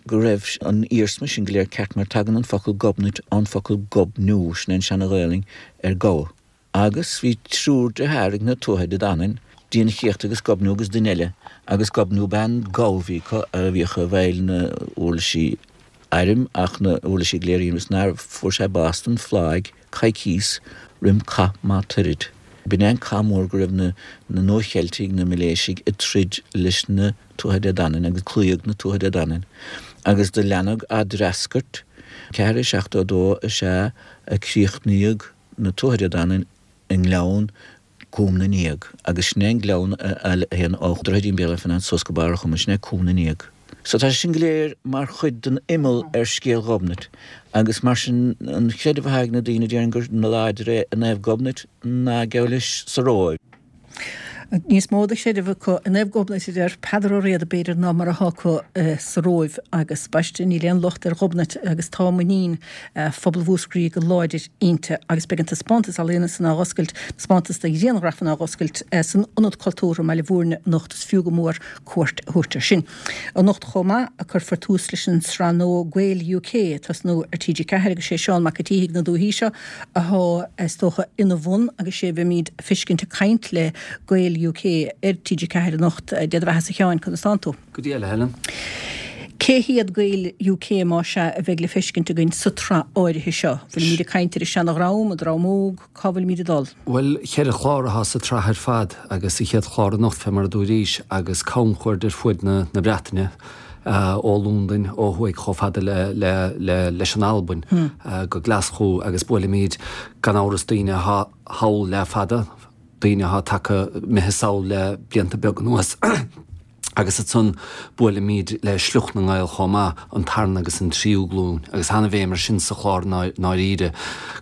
go raibh an iarsma sin go léir ceart mar tagann an focal Gobnait ón focal Gobniú, sin é an seana-Ghaelainn ar gabha. Agus bhí triúr dearthár ag na Tuatha Dé Danann, Dian Chéachta agus Gobniú agus duine eile, agus Gobniú b'ea an gabha a bhí acu a bhíodh i bhfeighil na uirlisí airm ach na uirlisí go léir a dhéanamh is nár fuair sé bás den phláigh coicíos roim Cath Magh Tuiread. B'in é an cath mór go raibh na Nua-Cheiltigh, na Miléisigh, ag troid leis na Tuatha Dé Danann agus cloíodh na Tuatha Dé Danann agus do leanadh á dtreascairt. 472 is ea a críochnaíodh na Tuatha Dé Danann i nGleann Cúm na nGéag, agus sin é an gleann a théann ó Dhroichidín Béal Átha Fionnáin suas go Barr an Choma, sin é Cúm na nGéag. So tá sé sin go léir mar chuid den imeall ar scéal Ghobnait, agus mar sin an chreideamh atá ag na daoine, déarfainn gur láidre i Naomh Gobnait ná geall leis sa Róimh. Níos mó de chreideamh acu i Naomh Gobnait, a deir Peadar Ó Riada, b'fhéidir, ná mar atá acu sa Róimh, agus baiste, níl aon locht ar Ghobnait agus tá muinín phobal Mhúscraí go láidir inti agus beidh an taispeántas ealaíona san á dh'oscailt, taispeántas de ghrianghrafanna á dh'oscailt san Ionad Cultúrtha i mBaile Bhúirne anocht. Is fiú go mór cuairt a thabhairt air sin. Anocht chomh maith a cuirfear tús leis an sraith nua Gaeil UK ag tosnú ar TG4 agus sé Seán Mac a' tSíthigh na dúichí seo athá is dócha ina bhun agus sé a bheimíd a feiscint ag caint le Gaeil UK ar TG4 anocht. Dé do bheatha-sa a Sheáin, conas tánn tú? Go dia, a Helen. Cé hiad Gaeil UK más ea a bheidh le feiscint againn sa tsraith áirithe seo? Bhfuilimíd ag caint ar an seana-dhream, an dream óg, cá bhfuilimíd ag dul? Bhuel, cheithre chlár atá sa tsraith ar fad agus an chéad chlár anocht fé mar a dúraís agus camchuaird ar fuaid na Breataine, ó Londain ó thuaidh chomh fada le le leis an Albain go Glaschú agus buailimíd gan amhras daoine atá thall le fada, daoine atá tagtha imithe sall le blianta beaga anuas. Agus ansan buailimid le sliocht na nGael chomh maith, an tarna agus an tríú glúin. Agus ana-bhéim ar sin sa chlár i ndáiríre,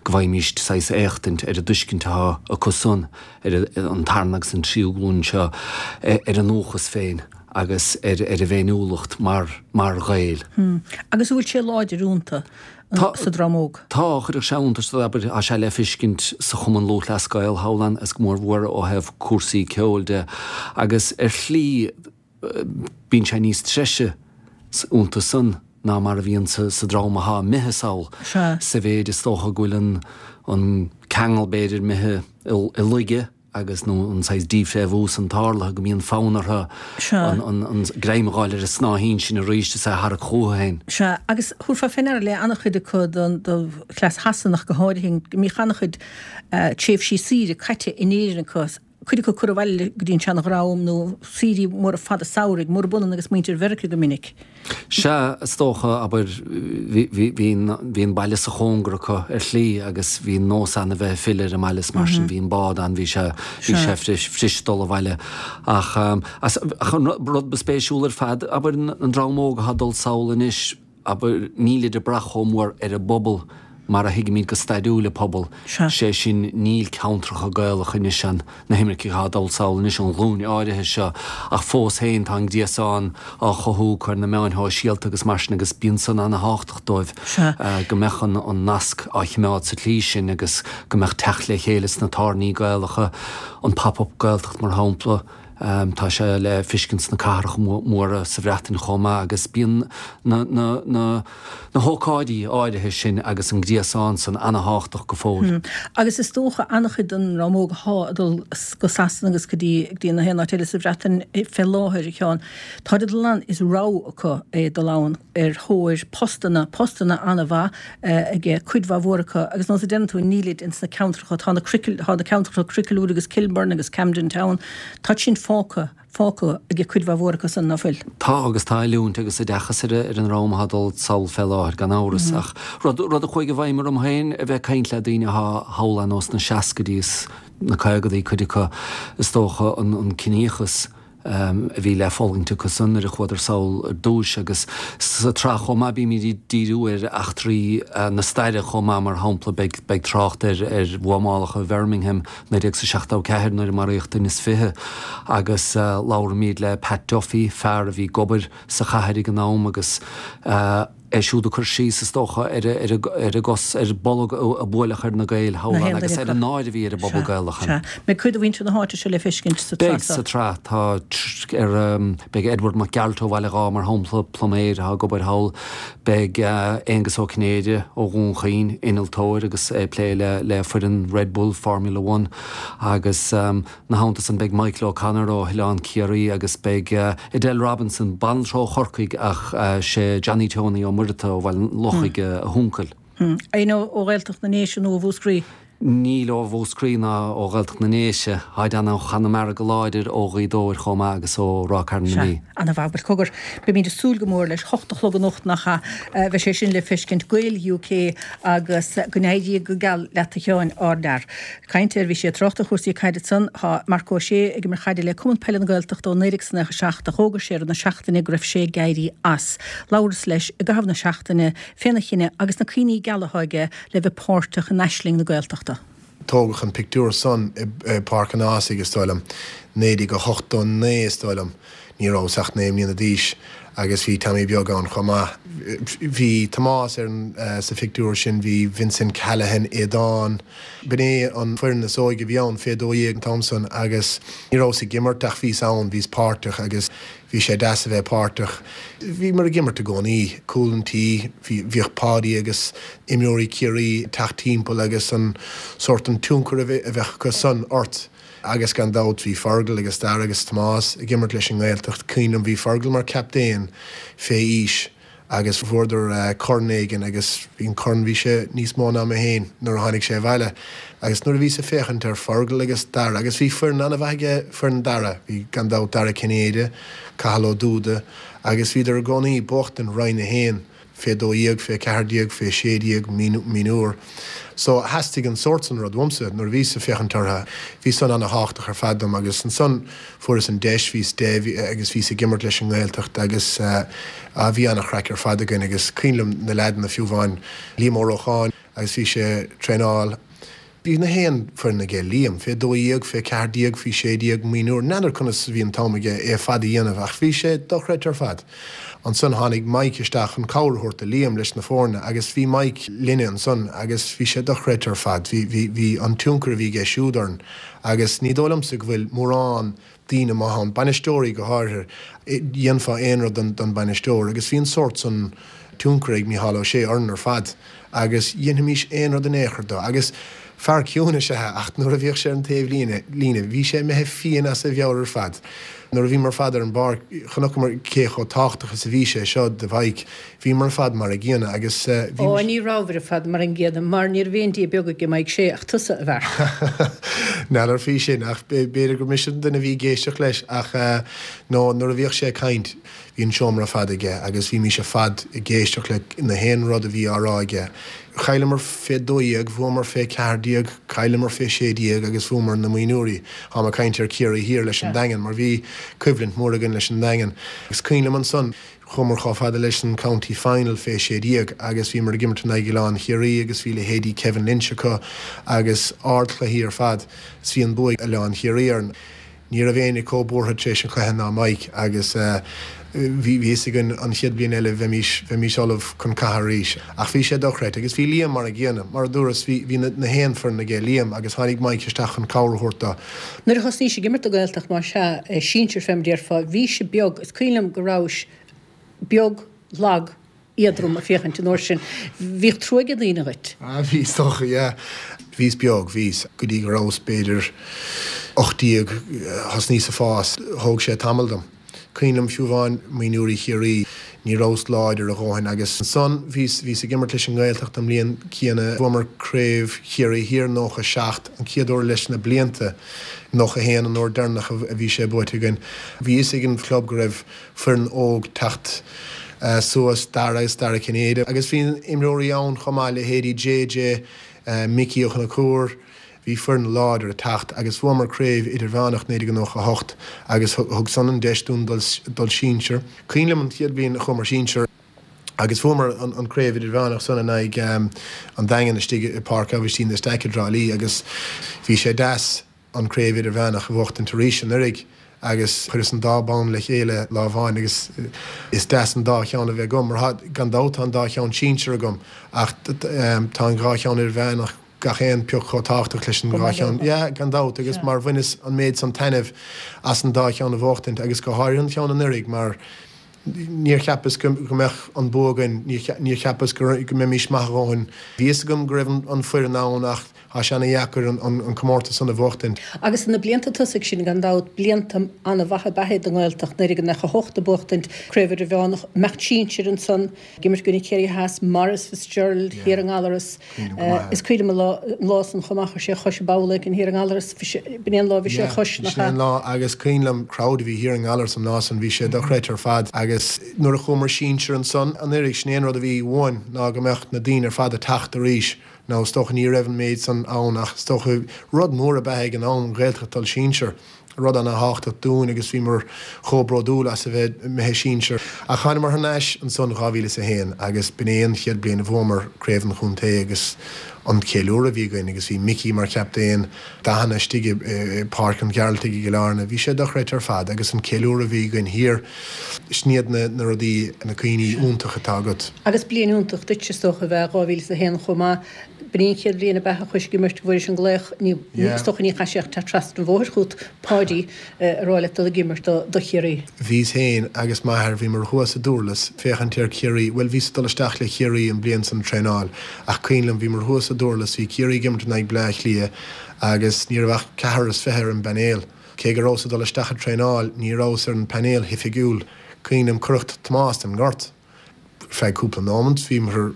go bhfaighimíst saghas éachtaint ar an dtuiscint atá acu san, ar an tarna agus an tríú glúin seo, ar a ndúchas féin agus ar a bhféiniúlacht mar mar Ghaeil. Agus an bhfuil sé láidir iontu sa dream óg? Tá, chuirfeadh sé iontas ort, abair, tá sé le feiscint sa Chumann Lúthchleas Gael thall ann, is go mór mhór ó thaobh cúrsaí ceoil de, agus ar shlí bíonn sé níos treise iontu san ná mar a bhíonn sa dream athá imithe sall, sa mhéid is dócha go bhfuil an ceangal b'fhéidir imithe i laige. agus nó an saghas dífhréamhú san tarlaithe go mbíonn fonn orthu an greim a dh'fháil ar an snáithín sin arís is é a tharrac chucu féin. Sea, agus thabharfá fé ndeara le an-chuid acu den chleas Shasanach go háirithe, go mbíodh an-chuid tréimhsí saoire caite in Éirinn acu, cuid acu curtha abhaile go dtí an seana-dhream nó saoirí móra fada samhraidh, murab ionann agus muintir Mheiriceá go minic. Sea, is dócha, abair, bhí an baile sa chóngar acu ar shlí agus bhí an nós ann a bheith ag filleadh ar an mbaile is mar sin bhí an bád ann, bhí sé, bhí sé fuirist dul abhaile. Ach, ach an rud ba spéisiúla ar fad, abair, an dream óg atá ag dul sall anois, abair, nílid ag brath chomh mór ar an bpobal mar a thuigimid go stairiúil an pobal, sé sin níl ceantracha Gaelacha anois ann, na himircigh atá ag dul sall anois, an ghlúin áirithe seo, ach fós féin tá an gréasán á chothú acu ar na meáin shóisialta agus mar sin agus bíonn san ana-thábhachtach dóibh go mbeadh an nasc á chimeád sa tslí sin agus go mbeadh teacht le chéile sna tábhairní Gaelacha, an Pop Up Gaeltacht mar shampla. Tá sé le feiscint sna cathracha móra sa Bhreatain chomh maith agus bíonn na na na na hócáidí áirithe sin agus an gréasán san ana-thábhachtach go fóill. Agus is dócha an-chuid den dream óg athá ag dul go Sasana agus go dtí go dtí na haon áit eile sa Bhreatain fé láthair, a Sheáin, táid ag dul ann, is rogha acu é dul ann ar thóir postanna, postanna an-mhaith aige cuid mhaith mhór acu agus nós a deireann tú nílid ins na ceantracha, tá na tá na ceantracha Cricklewood agus Kilburn agus Camden Town, táid sin fágtha, fágtha aige cuid mhaith mhór acu san, ná fuil? Tá agus tá oiliúint agus oideachas ar ar an dream atá ag dul sall fé láthair gan amhras ach rud, rud a chuaigh i bhfeidhm orm féin a bheith ag caint le daoine athá thall ar nós sna seascaidí is na caogadaí cuid acu is dócha an an ciníochas a bhí le fulaingt acu san nuair a chuadar sall ar dtúis agus sa tsraith chomh maith bímid ag díriú ar eachtraí na staire chomh maith mar shampla beidh beidh trácht ar ar bhuamálacha Bhirmingham 1974 nuair a maraíodh duine is 20 agus labhraímid le Pat Duffy fear a bhí ag obair sa chathair ag an am agus é siúd ag cur síos, is dócha, ar ar an gcos, ar bolg a buaileadh ar na Gaeil thall ann agus ar an náire a bhí ar an bpobal Gaelach ann. Sea. Beidh cuid de mhuintir na háite seo le feiscint sa tsraith seo. Beidh, sa tsraith. Tá, ar, beidh Edward Mac Gearailt ó Bhaile Dháith, mar shampla, pluiméir atá ag obair thall. Beidh Aengus Ó Cinnéide ó Dhún Chaoin, innealtóir agus é ag plé le le foireann Red Bull Formula One agus, Ina theannta san beidh Michael O'Connor ó Oileán Ciarraí agus beidh Edel Robinson, banaltra ó Chorcaigh ach sé Johnny Tony Ó Muireadhtaigh ó Bhaile an Lochaigh a huncail. Éinne ó Ghaeltacht na nDéise nó ó Mhúscraí? Níl ó Mhúscraí ná ó Ghaeltacht na nDéise. Táid ann ó Chonamara go láidir, ó Ghaoth Dobhair chomh maith agus ó Ráth Cairn na Mí. Sea, ana-mhaith. Bhuel cogar, beimid ag súil go mór leis. 8 a chlog anocht nach ea? Bheidh sé sin le feiscint. Gael UK agus go n-éirí go geal leat a Sheáin, ár bhfear. Caint ar, bhí sé ag trácht ar chúrsaí caide ansan, tá Marc Ó Sé ag imirt chaide le Cumann Peile na Gaeltachta ó 1997 ach d'fhógair sé i rith na seachtaine go raibh sé ag éirí as. Labhras leis i gcaitheamh na seachtaine féna chinneadh agus na cuimhní geala atá aige le bheith páirteach in aisling na Gaeltachta. Tógadh an pictiúr san i bPáirc an Ághasaigh, is dóigh liom, 1989 is dóigh liom. Ní rabhas ach 9 mbliana d'aois agus bhí Tommy Beag ann chomh maith. Bhí Tomás ar an sa phictiúr sin, bhí Vincent Callaghan, Aodán. B'in é an foireann is óige a bhí ann, fé 12 an t-am san agus ní rabhas ag imirt ach bhíos ann, bhíos páirteach agus bhí sé deas a bheith páirteach. Bhíomar ag imirt i gcónaí, cúl an tí, bhí, bhíodh Páidí agus imreoirí Ciarraí ag teacht timpeall agus an sórt, an tionchar a bheadh acu san ort. Agus gan dabht bhí Fergal agus Dara agus Tomás ag imirt leis an nGaeltacht. Cuimhin liom bhí Fergal mar captaen fé aois agus bhuadar corn éigin agus bhí an corn, bhí sé níos mó ná mé féin nuair a tháinig sé abhaile. Agus nuair a bhíos ag féachaint ar Fergal agus Dara, agus bhí foireann an-mhaith aige, foireann Dara, bhí gan dabht Dara Cinnéide, Cathal Ó Dúda agus bhíodar i gcónaí ag buachtaint Roinn 1. fé 12, fé 14, fé 16, mionúr. So, theastaigh an sórt san rud uaimse nuair a bhíos ag féachaint orthu. Bhí san ana-thábhachtach ar fad dom agus ansan fuaireas an deis, bhíos 10 agus bhíos ag imirt leis an nGaeltacht agus bhí ana-chraic ar fad againn agus cuimhin liom na leaideanna fiú amháin, Liam Ó Rócháin agus bhí sé ag traenáil. Bhí na haon foireann aige, Liam, fé 12, fé 14, faoi 16, mionúr. N'fheadar conas a bhí an t-am aige é ar fad a dhéanamh ach bhí sé dochreidte ar fad. Ansan tháinig Mike isteach chun cabhair a thabhairt do Liam leis na foirne agus bhí Mike linne ansan agus bhí sé dochreidte ar fad. Bhí, bhí, bhí an tionchar a bhí aige siúd orainn agus ní dóigh liomsa go bhfuil mórán daoine maith ann, bainisteoirí go háirithe, dhéanfá aon rud don bhainisteoir agus bhí an sórt san tionchar ag Mícheál Ó Sé orainn ar fad agus dhéanfaimis aon rud in aon chor dó agus fear ciúin is ea é ach nuair a bhíodh sé ar an taobh líne, líne, bhí sé imithe fiáin as a mheabhair ar fad. Nuair a bhíomar ar fad ar an bpáirc chonaiceamar cé chomh tábhachtach is a bhí sé seo do Mhike, bhíomar ar fad mar a gcéanna agus bhí. Ó, ní rabhabhair ar fad mar an gcéanna mar ní raibh aon Dia beag aige Mike Sé ach tusa, a Mharc. N'fheadar faoi sin ach b'fhéidir gur mise an duine a bhí ag éisteacht leis ach no nuair a bhíodh sé ag caint bhí an seomra ar fad aige agus bhímís ar fad ag éisteacht le na haon rud a bhí á rá aige. Chailleamar fé 12, bhuamar fé 14, chailleamar fé 16 agus bhuamar na mionúirí. Táim ag caint ar Ciarraí Thiar leis an Daingean mar bhí coimhlint mhór againn leis an Daingean. Is cuimhin liom ansan, Chuamar chomh fada leis an County Final fé 16 agus bhíomar ag imirt in aghaidh Oileán Chiarraí agus bhí leithéidí Kevin Lynch acu agus ardchluichí ar fad 's bhí an bua ag Oileán Chiarraí orainn. Ní raibh éinne chomh buartha tar éis an chluiche ná Mike agus bhí fhios againn an chéad bhliain eile bheimis, bheimis ullamh chun catha arís. Ach bhí sé dochreidte agus bhí Liam mar an gcéanna. Mar a dúras, bhí, bhí na haon foireann aige Liam agus tháinig Mike isteach chun cabhair a thabhairt do. Nuair a thosnaís ag imirt don Ghaeltacht, más ea, sinsir fé mar déarfá, bhís beag, is cuimhin liom go rabhais beag, lag, éadrom ag féachaint an uair sin. Bhíodh trua ag daoine dhuit. Ah bhí, is dócha, yeah. Bhíos beag, bhíos. Go dtí go rabhas b'fhéidir 18, thosnaíos ag fás. Thóg sé tamall dom. Cuimhin liom fiú amháin mionúirí Chiarraí, ní rabhas láidir a dhóthain agus ansan bhíos, bhíos ag imirt leis an nGaeltacht an mbliain chéanna. Bhuamar Craobh Chiarraí Thiar 97, an chéad uair leis na blianta. 91 an uair deireanach a bhí sé buaite againn. Bhí fhios ag an chlub go raibh foireann óg teacht suas, Dara agus Dara Cinnéide, agus bhí imreoirí ann chomh maith, leithéidí JJ, Micí Ó Conchúir, bhí foireann láidir ag teacht agus bhuamar craobh idirmheánach 1998 agus thug san an deis dúinn dul sinsir. Cuimhin liom an chéad bhliain a chuamar sinsir agus bhuamar an craobh idirmheánach san in aghaidh an Daingin istigh i Páirc Aibhistín de Staic i dTrá Lí agus bhí sé deas an Craobh Idirmheánach a bhuachtaint arís anuraidh agus chuireas an dá bonn le chéile lá amháin agus is deas an dá cheann a bheith agam mar tá, gan dabht tá an dá cheann sinsir agam ach tá an dhá cheann idirmheánach gach aon pioc chomh tábhachtach leis an dhá cheann, yeah, gan dabht agus mar bhaineas an méid san taitnimh as an dá cheann a bhuachtaint agus go háirithe an cheann anuraidh mar níor cheapas go mbeadh an bua againn, níor cheapas go mbeimis maith a dhóthain. Bhí fhios agam go raibh an foireann ann ach tá sé ana dheacair an comórtas san a bhuachtaint. Agus na blianta tosaigh sin, gan dabht, blianta an-mhaith ab ea iad don nGaeltacht, 1998 ag buachtaint Craobh Idirmheánach, imeacht sinsir ansan, ag imirt i gcoinne Ciarraí Theas, Maurice Fitzgerald thiar i nGallaras. Is cuimhin liom an lá san chomh maith, chuir sé a chois i bpoll éicint thiar i nGallaras, b'in é an lá a bhris sé a chois, nach ea? Sin é an lá agus cuimhin liom crowd a bhí thiar i nGallaras an lá san, bhí sé dochreidte ar fad agus nuair a chuamar sinsir ansan anuraidh, sin é an rud a bhí uainn ná go mbeadh na daoine ar fad ag teacht arís. Now is dócha ní raibh an méid san ann ach is dócha rud mór ab ea ag an am an Ghaeltacht dul sinsir. Rud ana-thábhachtach dúinn agus bhíomar chomh bródúil as a bheith imithe sinsir. Ach thánamar thar n-ais ansan 2001 agus b'in é an chéad bliain a bhuamar Craobh an Chontae agus an ceiliúradh a bhí againn agus bhí Micí mar chaptaen, dathanna istigh i Páirc an Ghearaltaigh i gCill Airne, bhí sé dochreidte ar fad agus an ceiliúradh a bhí againn thiar, sin iad na rudaí, na cuimhní iontacha atá agat. Agus bliain iontach duit is dócha ab ea 2001 chomh maith. B'in í an chéad bhliain ab ea a chuais ag imirt go bhfuairis an glaoch, ní, is dócha ní chaith sé ach teacht trasna an bhóthair chút, Páidí, a rá leat dul ag imirt do, do Chiarraí. Bhíos féin agus m'athair, bhíomar thuas i nDurlas féachaint ar Chiarraí, bhuel bhíos ag dul isteach le Ciarraí an bliain san traenáil ach cuimhin liom bhíomar thuas i nDurlas, bhí Ciarraí ag imirt in aghaidh Bleá Cliath agus ní raibh ach ceathrar is fiche ar an bpainéal. Cé go rabhas ag dul isteach ag traenáil ní rabhas ar an bpainéal oifigiúil. Cuimhin liom cuireadh Tomás den ngort. Ar feadh cúpla nóimint bhíomar,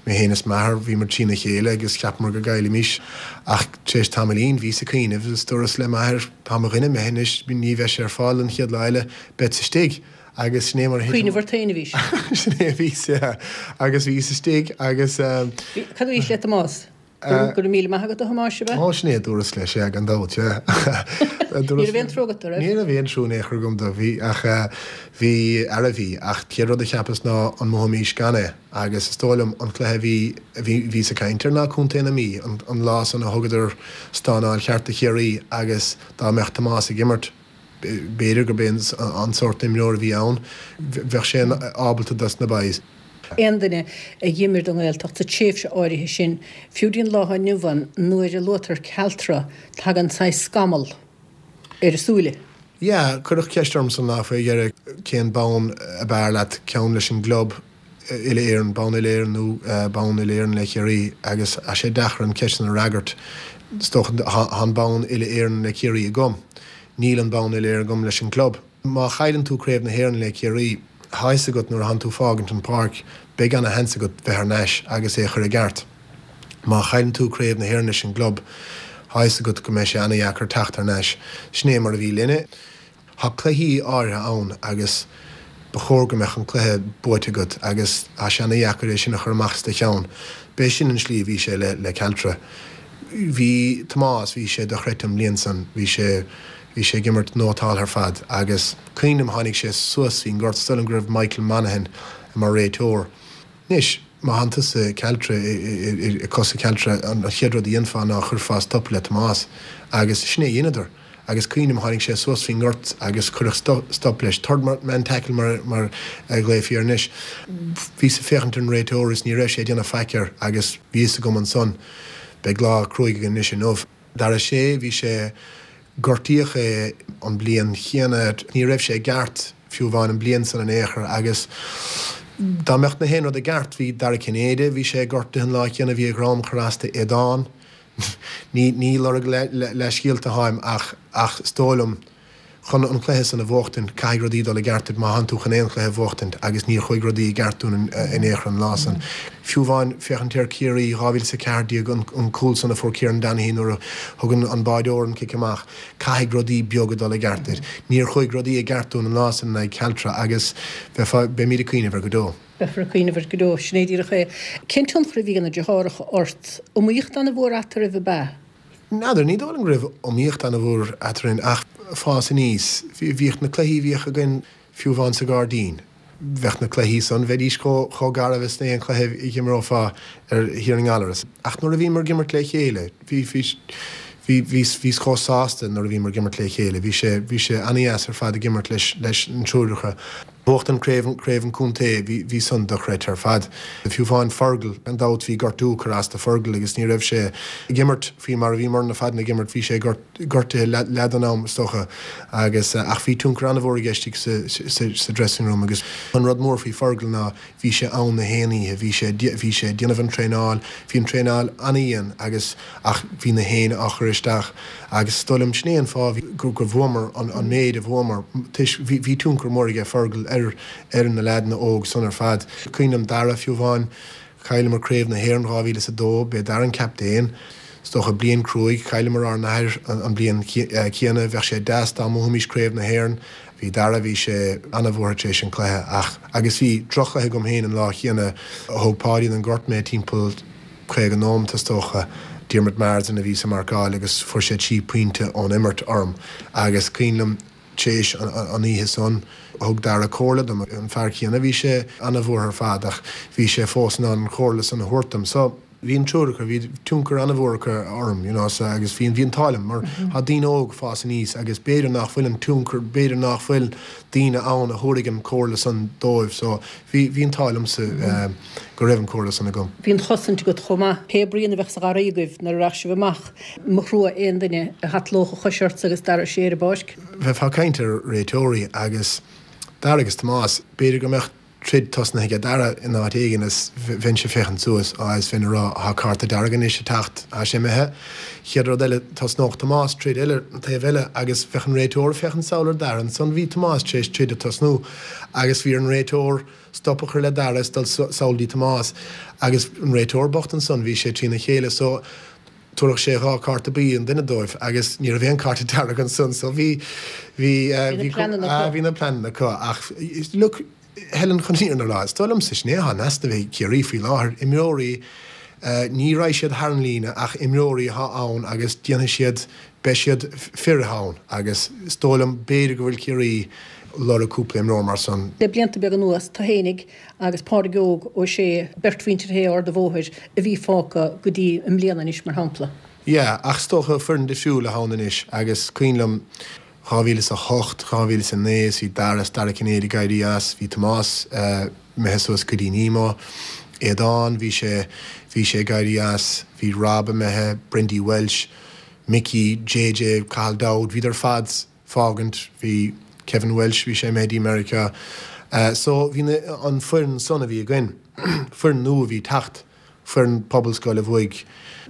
mé féin is m'athair, bhíomar trína chéile agus cheapamar go gcaillfimis. Ach tar éis tamaillín bhíos ag cuimhneamh agus dúras le m'athair, tá mo dhuine imithe anois, ní bheidh sé ar fáil an chéad lá eile, beadsa istigh. Agus sin é mar a thit. Cuimhneamh ort féin a bhís. Sin é a bhíos, yeah. Agus bhíos istigh agus. Cad a dúraís le Tomás? Go raibh míle maith agat, a Thomáis, ab ea? Ó, sin é a dúras leis, yeah, gan dabht, yeah. Ní raibh aon trua agat dó, raibh? Ní raibh aon trua in aon chor agam dó, bhí, ach bhí, ara bhí, ach chéad rud a cheapas ná an mbuafaimís gan é, agus is dóigh liom an cluiche a bhí, a bhí, bhíos ag caint air ná Contae na Mí, an, an lá san a thugadar stánáil cheart do Chiarraí agus dá mbeadh Tomás ag imirt, b'fhéidir gurb é an sórt imreoir a bhí ann, bheadh sé ábalta dos na boys. Aon duine a dh'imir don nGaeltacht sa tréimhse áirithe sin, fiú dtí an lá atá inniu ann, nuair a luaitear Caltra, tagann saghas scamall ar a súile. Yeah, cuireadh ceist ormsa an lá faoi dheireadh cén bonn ab fhearr leat, ceann leis an gclub uile-Éireann, bonn uile-Éireann nó bonn uile-Éireann le Ciarraí agus tá sé deacair an ceist sin a fhreagairt. Is dócha tá an bonn uile-Éireann le Ciarraí agam. Níl an bonn uile-Éireann agam leis an gclub. Má chailleann tú Craobh na hÉireann le Ciarraí, tá fhios agat nuair a thánn tú fágaint an pháirc, beidh ana sheans agat bheith thar n-ais agus é a chur i gceart. Má chailleann tú Craobh na hÉireann leis an gclub, tá fhios agat go mbeidh sé ana dheacair teacht thar n-ais. Sin é mar a bhí linne. Tá cluichí áirithe ann agus ba chóir go mbeadh an cluiche buaite agat agus tá sé ana dheacair é sin a chur amach as do cheann. B'é sin an slí a bhí sé le le Caltra. Bhí Tomás, bhí sé dochreidte an bhliain san, bhí sé, Bhí sé ag imirt nótáltha ar fad agus cuimhin liom tháinig sé suas faoin ngort, is dóigh liom go raibh Michael Monaghan mar réiteoir. Anois, má thánn tusa i Caltra, i cosa Caltra, an chéad rud a dhéanfá ná chuirfeá stop le Tomás agus sin é a dheineadar. Agus cuimhním, tháinig sé suas faoin ngort agus cuireadh stop leis. Third man tackle mar a ghlaofaí air anois. Bhíos ag féachaint ar an réiteoir is ní raibh sé ag déanamh faic air agus bhí fhios agam ansan, beidh lá cruaidh againn anois inniu. Dara O'Shea, bhí sé, gortaíodh é an bliain chéanna, ní raibh sé i gceart fiú amháin an bliain san in aon chor agus dá mbeadh na haon rud i gceart, bhí Dara Cinnéide, bhí sé gortaithe an lá céanna, bhí a dhrom curtha as d'Aodán. Ní ní lorg leathscéalta atáim ach ach is dóigh liom chun an cluiche san a bhuachtaint caithfidh rudaí dul i gceart duit má thánn tú chun aon chluiche a bhuachtaint agus níor chuaigh rudaí i gceart dúinn in aon chor an lá san. Fiú amháin féachaint ar Ciarraí 2014 an an cúl san a fuair Kieran Donaghy nuair a thug an an báireoir an cic amach caithfidh rudaí beaga dul i gceart duit. Níor chuaigh rudaí i gceart dúinn an lá san in aghaidh Caltra agus bheifeá beimid ag cuimhneamh air go deo. Beifear ag cuimhneamh air go deo, sin é díreach é. Cén tionchar a bhí ag na deartháireacha ort? Iomaíocht ana-mhór eatarthu, ab ea? N'fheadar, ní dóigh liom go raibh iomaíocht ana-mhór eadrainn ach fás aníos. Bhíodh na cluichí a bhíodh againn fiú amháin sa ghairdín, bheadh na cluichí san, bheidís chomh garbh is aon chluiche a dh'imreofá ar Thír na nGallaras. Ach nuair a bhíomar ag imirt le chéile, bhí, bhí, bhí, bhíos, bhíos chomh sásta nuair a bhíomar ag imirt le chéile. Bhí sé, bhí sé ana-dheas ar fad ag imirt leis, leis an triúr acu. Buachtaint craobh, craobh an chontae, bhí, bhí san dochreidte ar fad. Fiú amháin Fergal, gan dabht bhí gortú curtha as do Fergal agus ní raibh sé ag imirt faoi mar a bhíomarna ar fad ag imirt, bhí sé gortaithe leath den am is dócha agus, ach bhí tionchar an-mhór aige istigh sa, sa, sa dressing room agus an rud mór faoi Fergal ná bhí sé ann na haon oíche, bhí sé, bhí sé ag déanamh an traenáil, bhí an traenáil an-dhian agus, ach bhí na héinne á chur isteach agus is dóigh liom sin é an fáth gur bhuamar an méid a bhuamar toisc bhí tionchar mór aige Fergal ar ar na leaideanna óg san ar fad. Cuimhin liom Dara fiú amháin, chailleamar Craobh na hÉireann 2002, b'é Dara an captaen, is dócha bliain cruaidh, chailleamar ár n-athair an bliain chéanna, bheadh sé deas dá mbuafaimis Craobh na hÉireann, bhí Dara, bhí sé ana-bhuartha tar éis an cluiche ach agus bhí droch-chluiche agam féin an lá chéanna, thóg Páidí den ghort mé timpeall 50 nóimeat is dócha. Diarmuid Marsden a bhí sa marcáil agus fuair sé 3 pointe ón imirt orm agus cuimhin liom tar éis an oíche san thug Dara comhairle dom, an fear céanna, bhí sé ana-bhuartha ar fad ach bhí sé fós in ann an chomhairle san a thabhairt dom. So bhí an triúr acu, bhí tionchar ana-mhór acu orm you know so agus bhí bhí an t-ádh liom mar tá daoine óg ag fás aníos agus b'fhéidir nach bhfuil an tionchar, b'fhéidir nach bhfuil daoine ann a thabharfaidh an chomhairle san dóibh so bhí bhí an t-ádh liomsa go raibh an chomhairle san agam. Bhí an chosaint agat chomh maith. Pé braon a bheadh sa gharraí agaibh nuair a rachadh sibh amach, mba thrua aon duine a shatlódh a chois ortsa agus Dara O'Shea ar an bpáirc. Bheifeá ag caint ar réiteoirí agus Dara agus Tomás, b'fhéidir go mbeadh troid tosnaithe aige Dara in áit éigin is bheinnse ag féachaint suas, á is bheinn ag rá thá cárta dearg anois ag teacht, thá sé imithe. Chéad rud eile tosnódh Tomás troid eile an taobh eile agus bheadh an réiteoir ag féachaint sall ar Dara ansan bhí Tomás tar éis troid a tosnú agus bhí ar an réiteoir stop a chur le Dara is dul sall dtí Tomás agus an réiteoir bocht ansan bhí sé trína chéile so tabharfadh sé 2 cárta buí an duine dóibh agus ní raibh aon cárta dearg ansan so bhí bhí bhí na bhí na pleananna acu ach look Helen chun an fhírinne a rá is dóigh liomsa sin é atá in easnamh ag Ciarraí faoi láthair imreoirí ní raghaidh siad thar an líne ach imreoirí atá ann agus déanfaidh siad beidh siad fir ann agus is dóigh liom b'fhéidir go bhfuil Ciarraí lorg cúpla imreoir mar san. Le blianta beaga anuas, tú fhéinig agus Pádraig Óg Ó Sé, beirt mhuintir Shé Ard a' Bhóthair a bhí fágtha go dtí i mbliana anois, mar shampla. Yeah, ach is dócha foireann difriúil atá ann anois agus cuimhin liom 2008, 2009 is bhí Dara is Dara Cinnéide ag éirí as, bhí Tomás imithe suas go dtí Nemo, Aodán, bhí sé, bhí sé ag éirí as, bhí Rob imithe, Brendy Walsh, Mickey, JJ, Cathal Dowd, bhíodar ar fad fágaint, bhí Kevin Walsh, bhí sé imithe dtí Meiriceá. So bhí na, an foireann san a bhí againn, foireann nua a bhí ag teacht, foireann pobalscoile a bhuaigh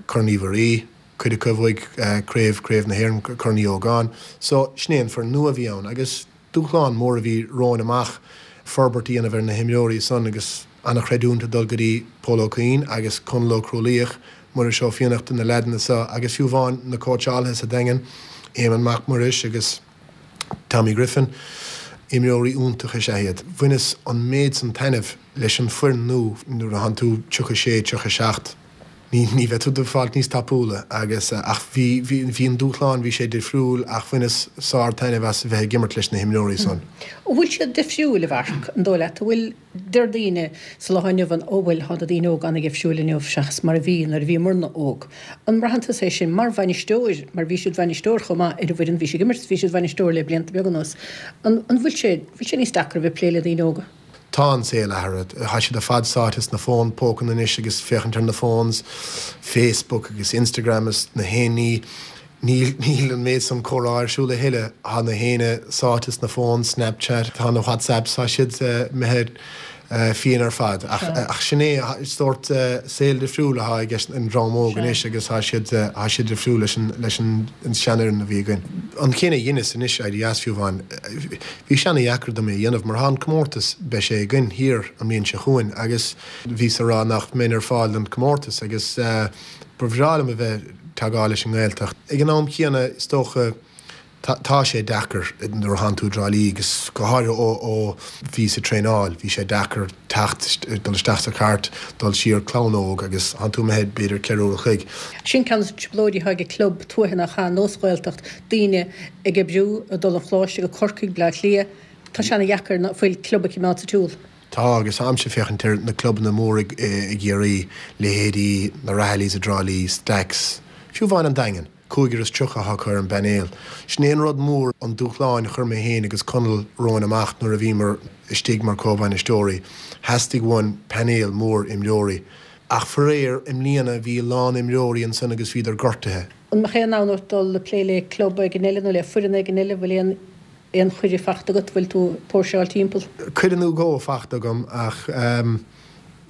Corn Uí Mhuirí, cuid acu a bhuaigh craobh, craobh na hÉireann, Corn Uí Ógáin. So sin é an foireann nua a bhí ann agus dúshlán mór a bhí romhainn amach forbairt a dhéanamh ar na himreoirí san agus an-chreidiúint ag dul go dtí Pól Ó Cuinn agus Conall Ó Crualaoich, Muiris Ó Fiannachta, na leaideanna seo agus fiú amháin na cóitseálaithe sa Daingean, Éamonn Mac Muiris agus Tommy Griffin, imreoirí iontacha is ea iad. Bhaineas an méid san taitneamh leis an foireann nua nuair a thánn tú 36, 37. Ní, ní bheidh tú ag fáilt níos tapúla agus, ach bhí, bhí, bhí an dúshlán, bhí sé difriúil ach bhaineas sár-taitneamh as a bheith ag imirt leis na himreoirí san. An bhfuil siad difriúil, a Mharc, an dóigh leat? An bhfuil, deir daoine sa lá inniu ann, ó bhuel, tá na daoine óga ana-dhifriúil inniu seachas mar a bhí nuair a bhíomarna óg. An mbraitheann tusa é sin mar bhainisteoir, mar bhís id bhainisteoir chomh maith ar an bhfoireann, bhís ag imirt, bhís id bhainisteoir le blianta beaga anuas. An, an bhfuil sé, bhfuil sé níos deacra a bheith ag plé le daoine óga? Tá an saol athraithe. Tá siad ar fad sáite sna fóin pócanna anois agus féachaint ar na phones, Facebook agus Instagram is na haon ní. Níl, níl an méid san comhrá ar siúl a thuilleadh. Tá na héinne sáite sna phones, Snapchat, tá na WhatsApps, tá siad imithe fiáin ar fad. Ach, ach sin é, sórt saol difriúil atá ag an dream óg anois agus tá siad, tá siad difriúil leis an, leis an seanfhoireann a bhí againn. An cinneadh a dheineas anois, éirí as fiú amháin, Bhí sé ana-dheacair dom é a dhéanamh mar thá an comórtas, beidh sé againn thiar an mbliain seo chugainn agus bhíos a rá nach mbeinn ar fáil don comórtas agus ba bhreá liom a bheith teagmháil leis an nGaeltacht. Ag an am chéanna is dócha tá sé deacair nuair a thánn tú i dTrá Lí agus go háirithe ó ó bhíos ag traenáil, bhí sé deacair teacht, dul isteach sa chairt, dul siar, clann óg agus thánn tú imithe b'fhéidir 4 uair a chloig. Sin ceann de na trioblóidí atá ag an club tuaithe nach ea, nós Ghaeltacht, daoine ag oibriú, ag dul an choláiste go Corcaigh, Bleá Cliath. Tá sé ana-dheacair ná fuil club a choimeád sa tsiúl. Tá, agus táimse ag féachaint ar na clubanna móra i gCiarraí, leithéidí na Rahillys i dTrá Lí, Stacks, fiú amháin an Daingean, cúigear is 30 atá acu ar an bpainéal. Sin é an rud mór, an dúshláin a chuir mé féin agus Conall romhainn amach nuair a bhíomar istigh mar comhbhainisteoirí. Theastaigh uainn painéal mór imreoirí. Ach faraor, i mbliana bhí a lán imreoirí ansan agus bhíodar gortaithe. An mbeadh aon fhonn ort dul ag plé le club éigin eile nó le foireann éigin eile? Bhfuil aon aon chuireadh fachta agat? Bhfuil tú ag póirseáil timpeall? Cuireadh nó dhó fachta agam ach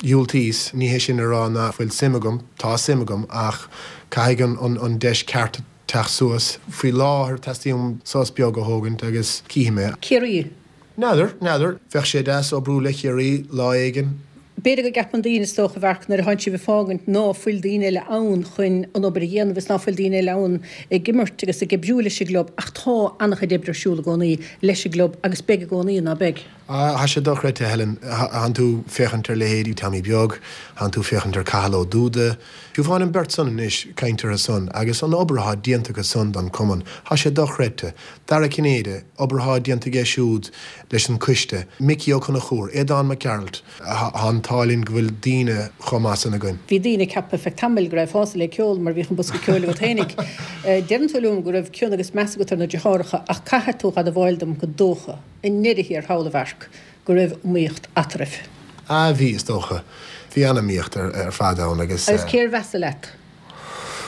dhiúltaíos. Ní hé sin a rá nach bhfuil suim agam, tá suim agam ach caithfidh an deis ceart teacht suas. Faoi láthair teastaíonn uaim sos beag a thógaint agus cífidh mé. Ciarraí. N'fheadar, n'fheadar. Bheadh sé deas oibriú le Ciarraí lá éigin. B'fhéidir go gceapann daoine, is dócha, a Mharc, nuair atánn sibh ag fágaint ná fuil daoine eile ann chun an obair a dhéanamh is ná fuil daoine eile ann ag imirt agus ag oibriú leis an gclub ach tá an-chuid oibre ar siúl i gcónaí leis an gclub agus beidh i gcónaí, ná beidh? Tá sé dochreidte, Helen. Thánn tú féachaint ar leithéidí Tommy Beag, thánn tú féachaint ar Cathal Ó Dúda, fiú amháin an bheirt san anois, caint orthu san agus an obair athá déanta acu san don cumann, tá sé dochreidte. Dara Cinnéide, obair athá déanta aige siúd leis an coiste, Micí Ó Conchúir, Aodán Mac Gearailt, tá an t-ádh linn go bhfuil daoine chomh maith san againn. Bhí daoine ag ceapadh ar feadh tamaill go raibheása le ceol mar bhíodh an bosca ceoil agat fhéinig. Deireann tú liom go raibh cion agus meas agat ar na deartháireacha ach caithfidh tú dh'admháil dom go dócha, i ndeireadh thiar thall a Mharc, go raibh iomaíocht eatarthu. Ah bhí, is dócha. Bhí an-iomaíocht ar fad ann agus. Agus cér mheasa leat?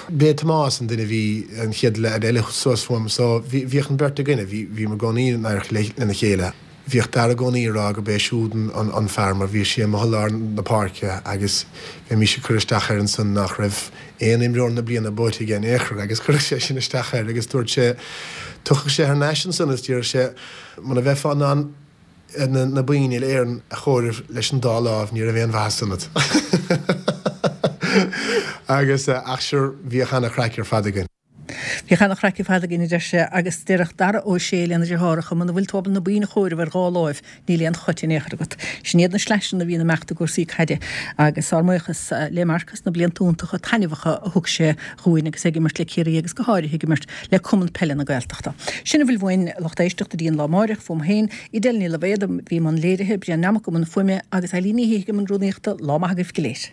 B'é Tomás an duine a bhí an chéad leaid eile suas uaim so bhíodh an bheirt againne, bhíomar i gcónaí in adharca lena chéile. Bhíodh Dara i gcónaí ag rá gurb é siúd an fear mar bhíodh sé amuigh i lár na páirce agus bheimis ag cur isteach air ansan nach raibh aon imreoir na bliana buaite aige in aon chor agus chuireadh sé sin isteach air agus dúirt sé, tiocfadh sé thar n-ais ansan is déarfadh sé muna bheifeá in ann na boinn uile Éireann a chomhaireamh leis an dá láimh, ní raibh aon mhaitheas ionat. Agus, ach sure, bhíodh ana-chraic ar fad againn. Bhíodh ana-chraic ar fad againn, a deir sé, agus déarfadh Dara Ó Sé lena dheartháireacha, muna bhfuil tú ábalta na boinn a chomhaireamh ar dhá láimh, níl aon chut in aon chor agat. Sin iad na sleaiseanna a bhíonn ag imeacht i gcúrsaí caide agus ár mbuíochas le Marc as na blianta iontacha taitneamhacha a thug sé dhúinn agus é ag imirt le Ciarraí agus go háirithe ag imirt le Cumann Peile na Gaeltachta. Sin a bhfuil uainn, lucht éisteachta, go dtí an lá amáireach, fúm féin, Edel Ní Loibhéad a bhí i mbun léirithe, Brian Nammock i mbun fuaime agus Eileen Ní Shíthigh i mbun rúnaíochta. Lá maith agaibh go léir.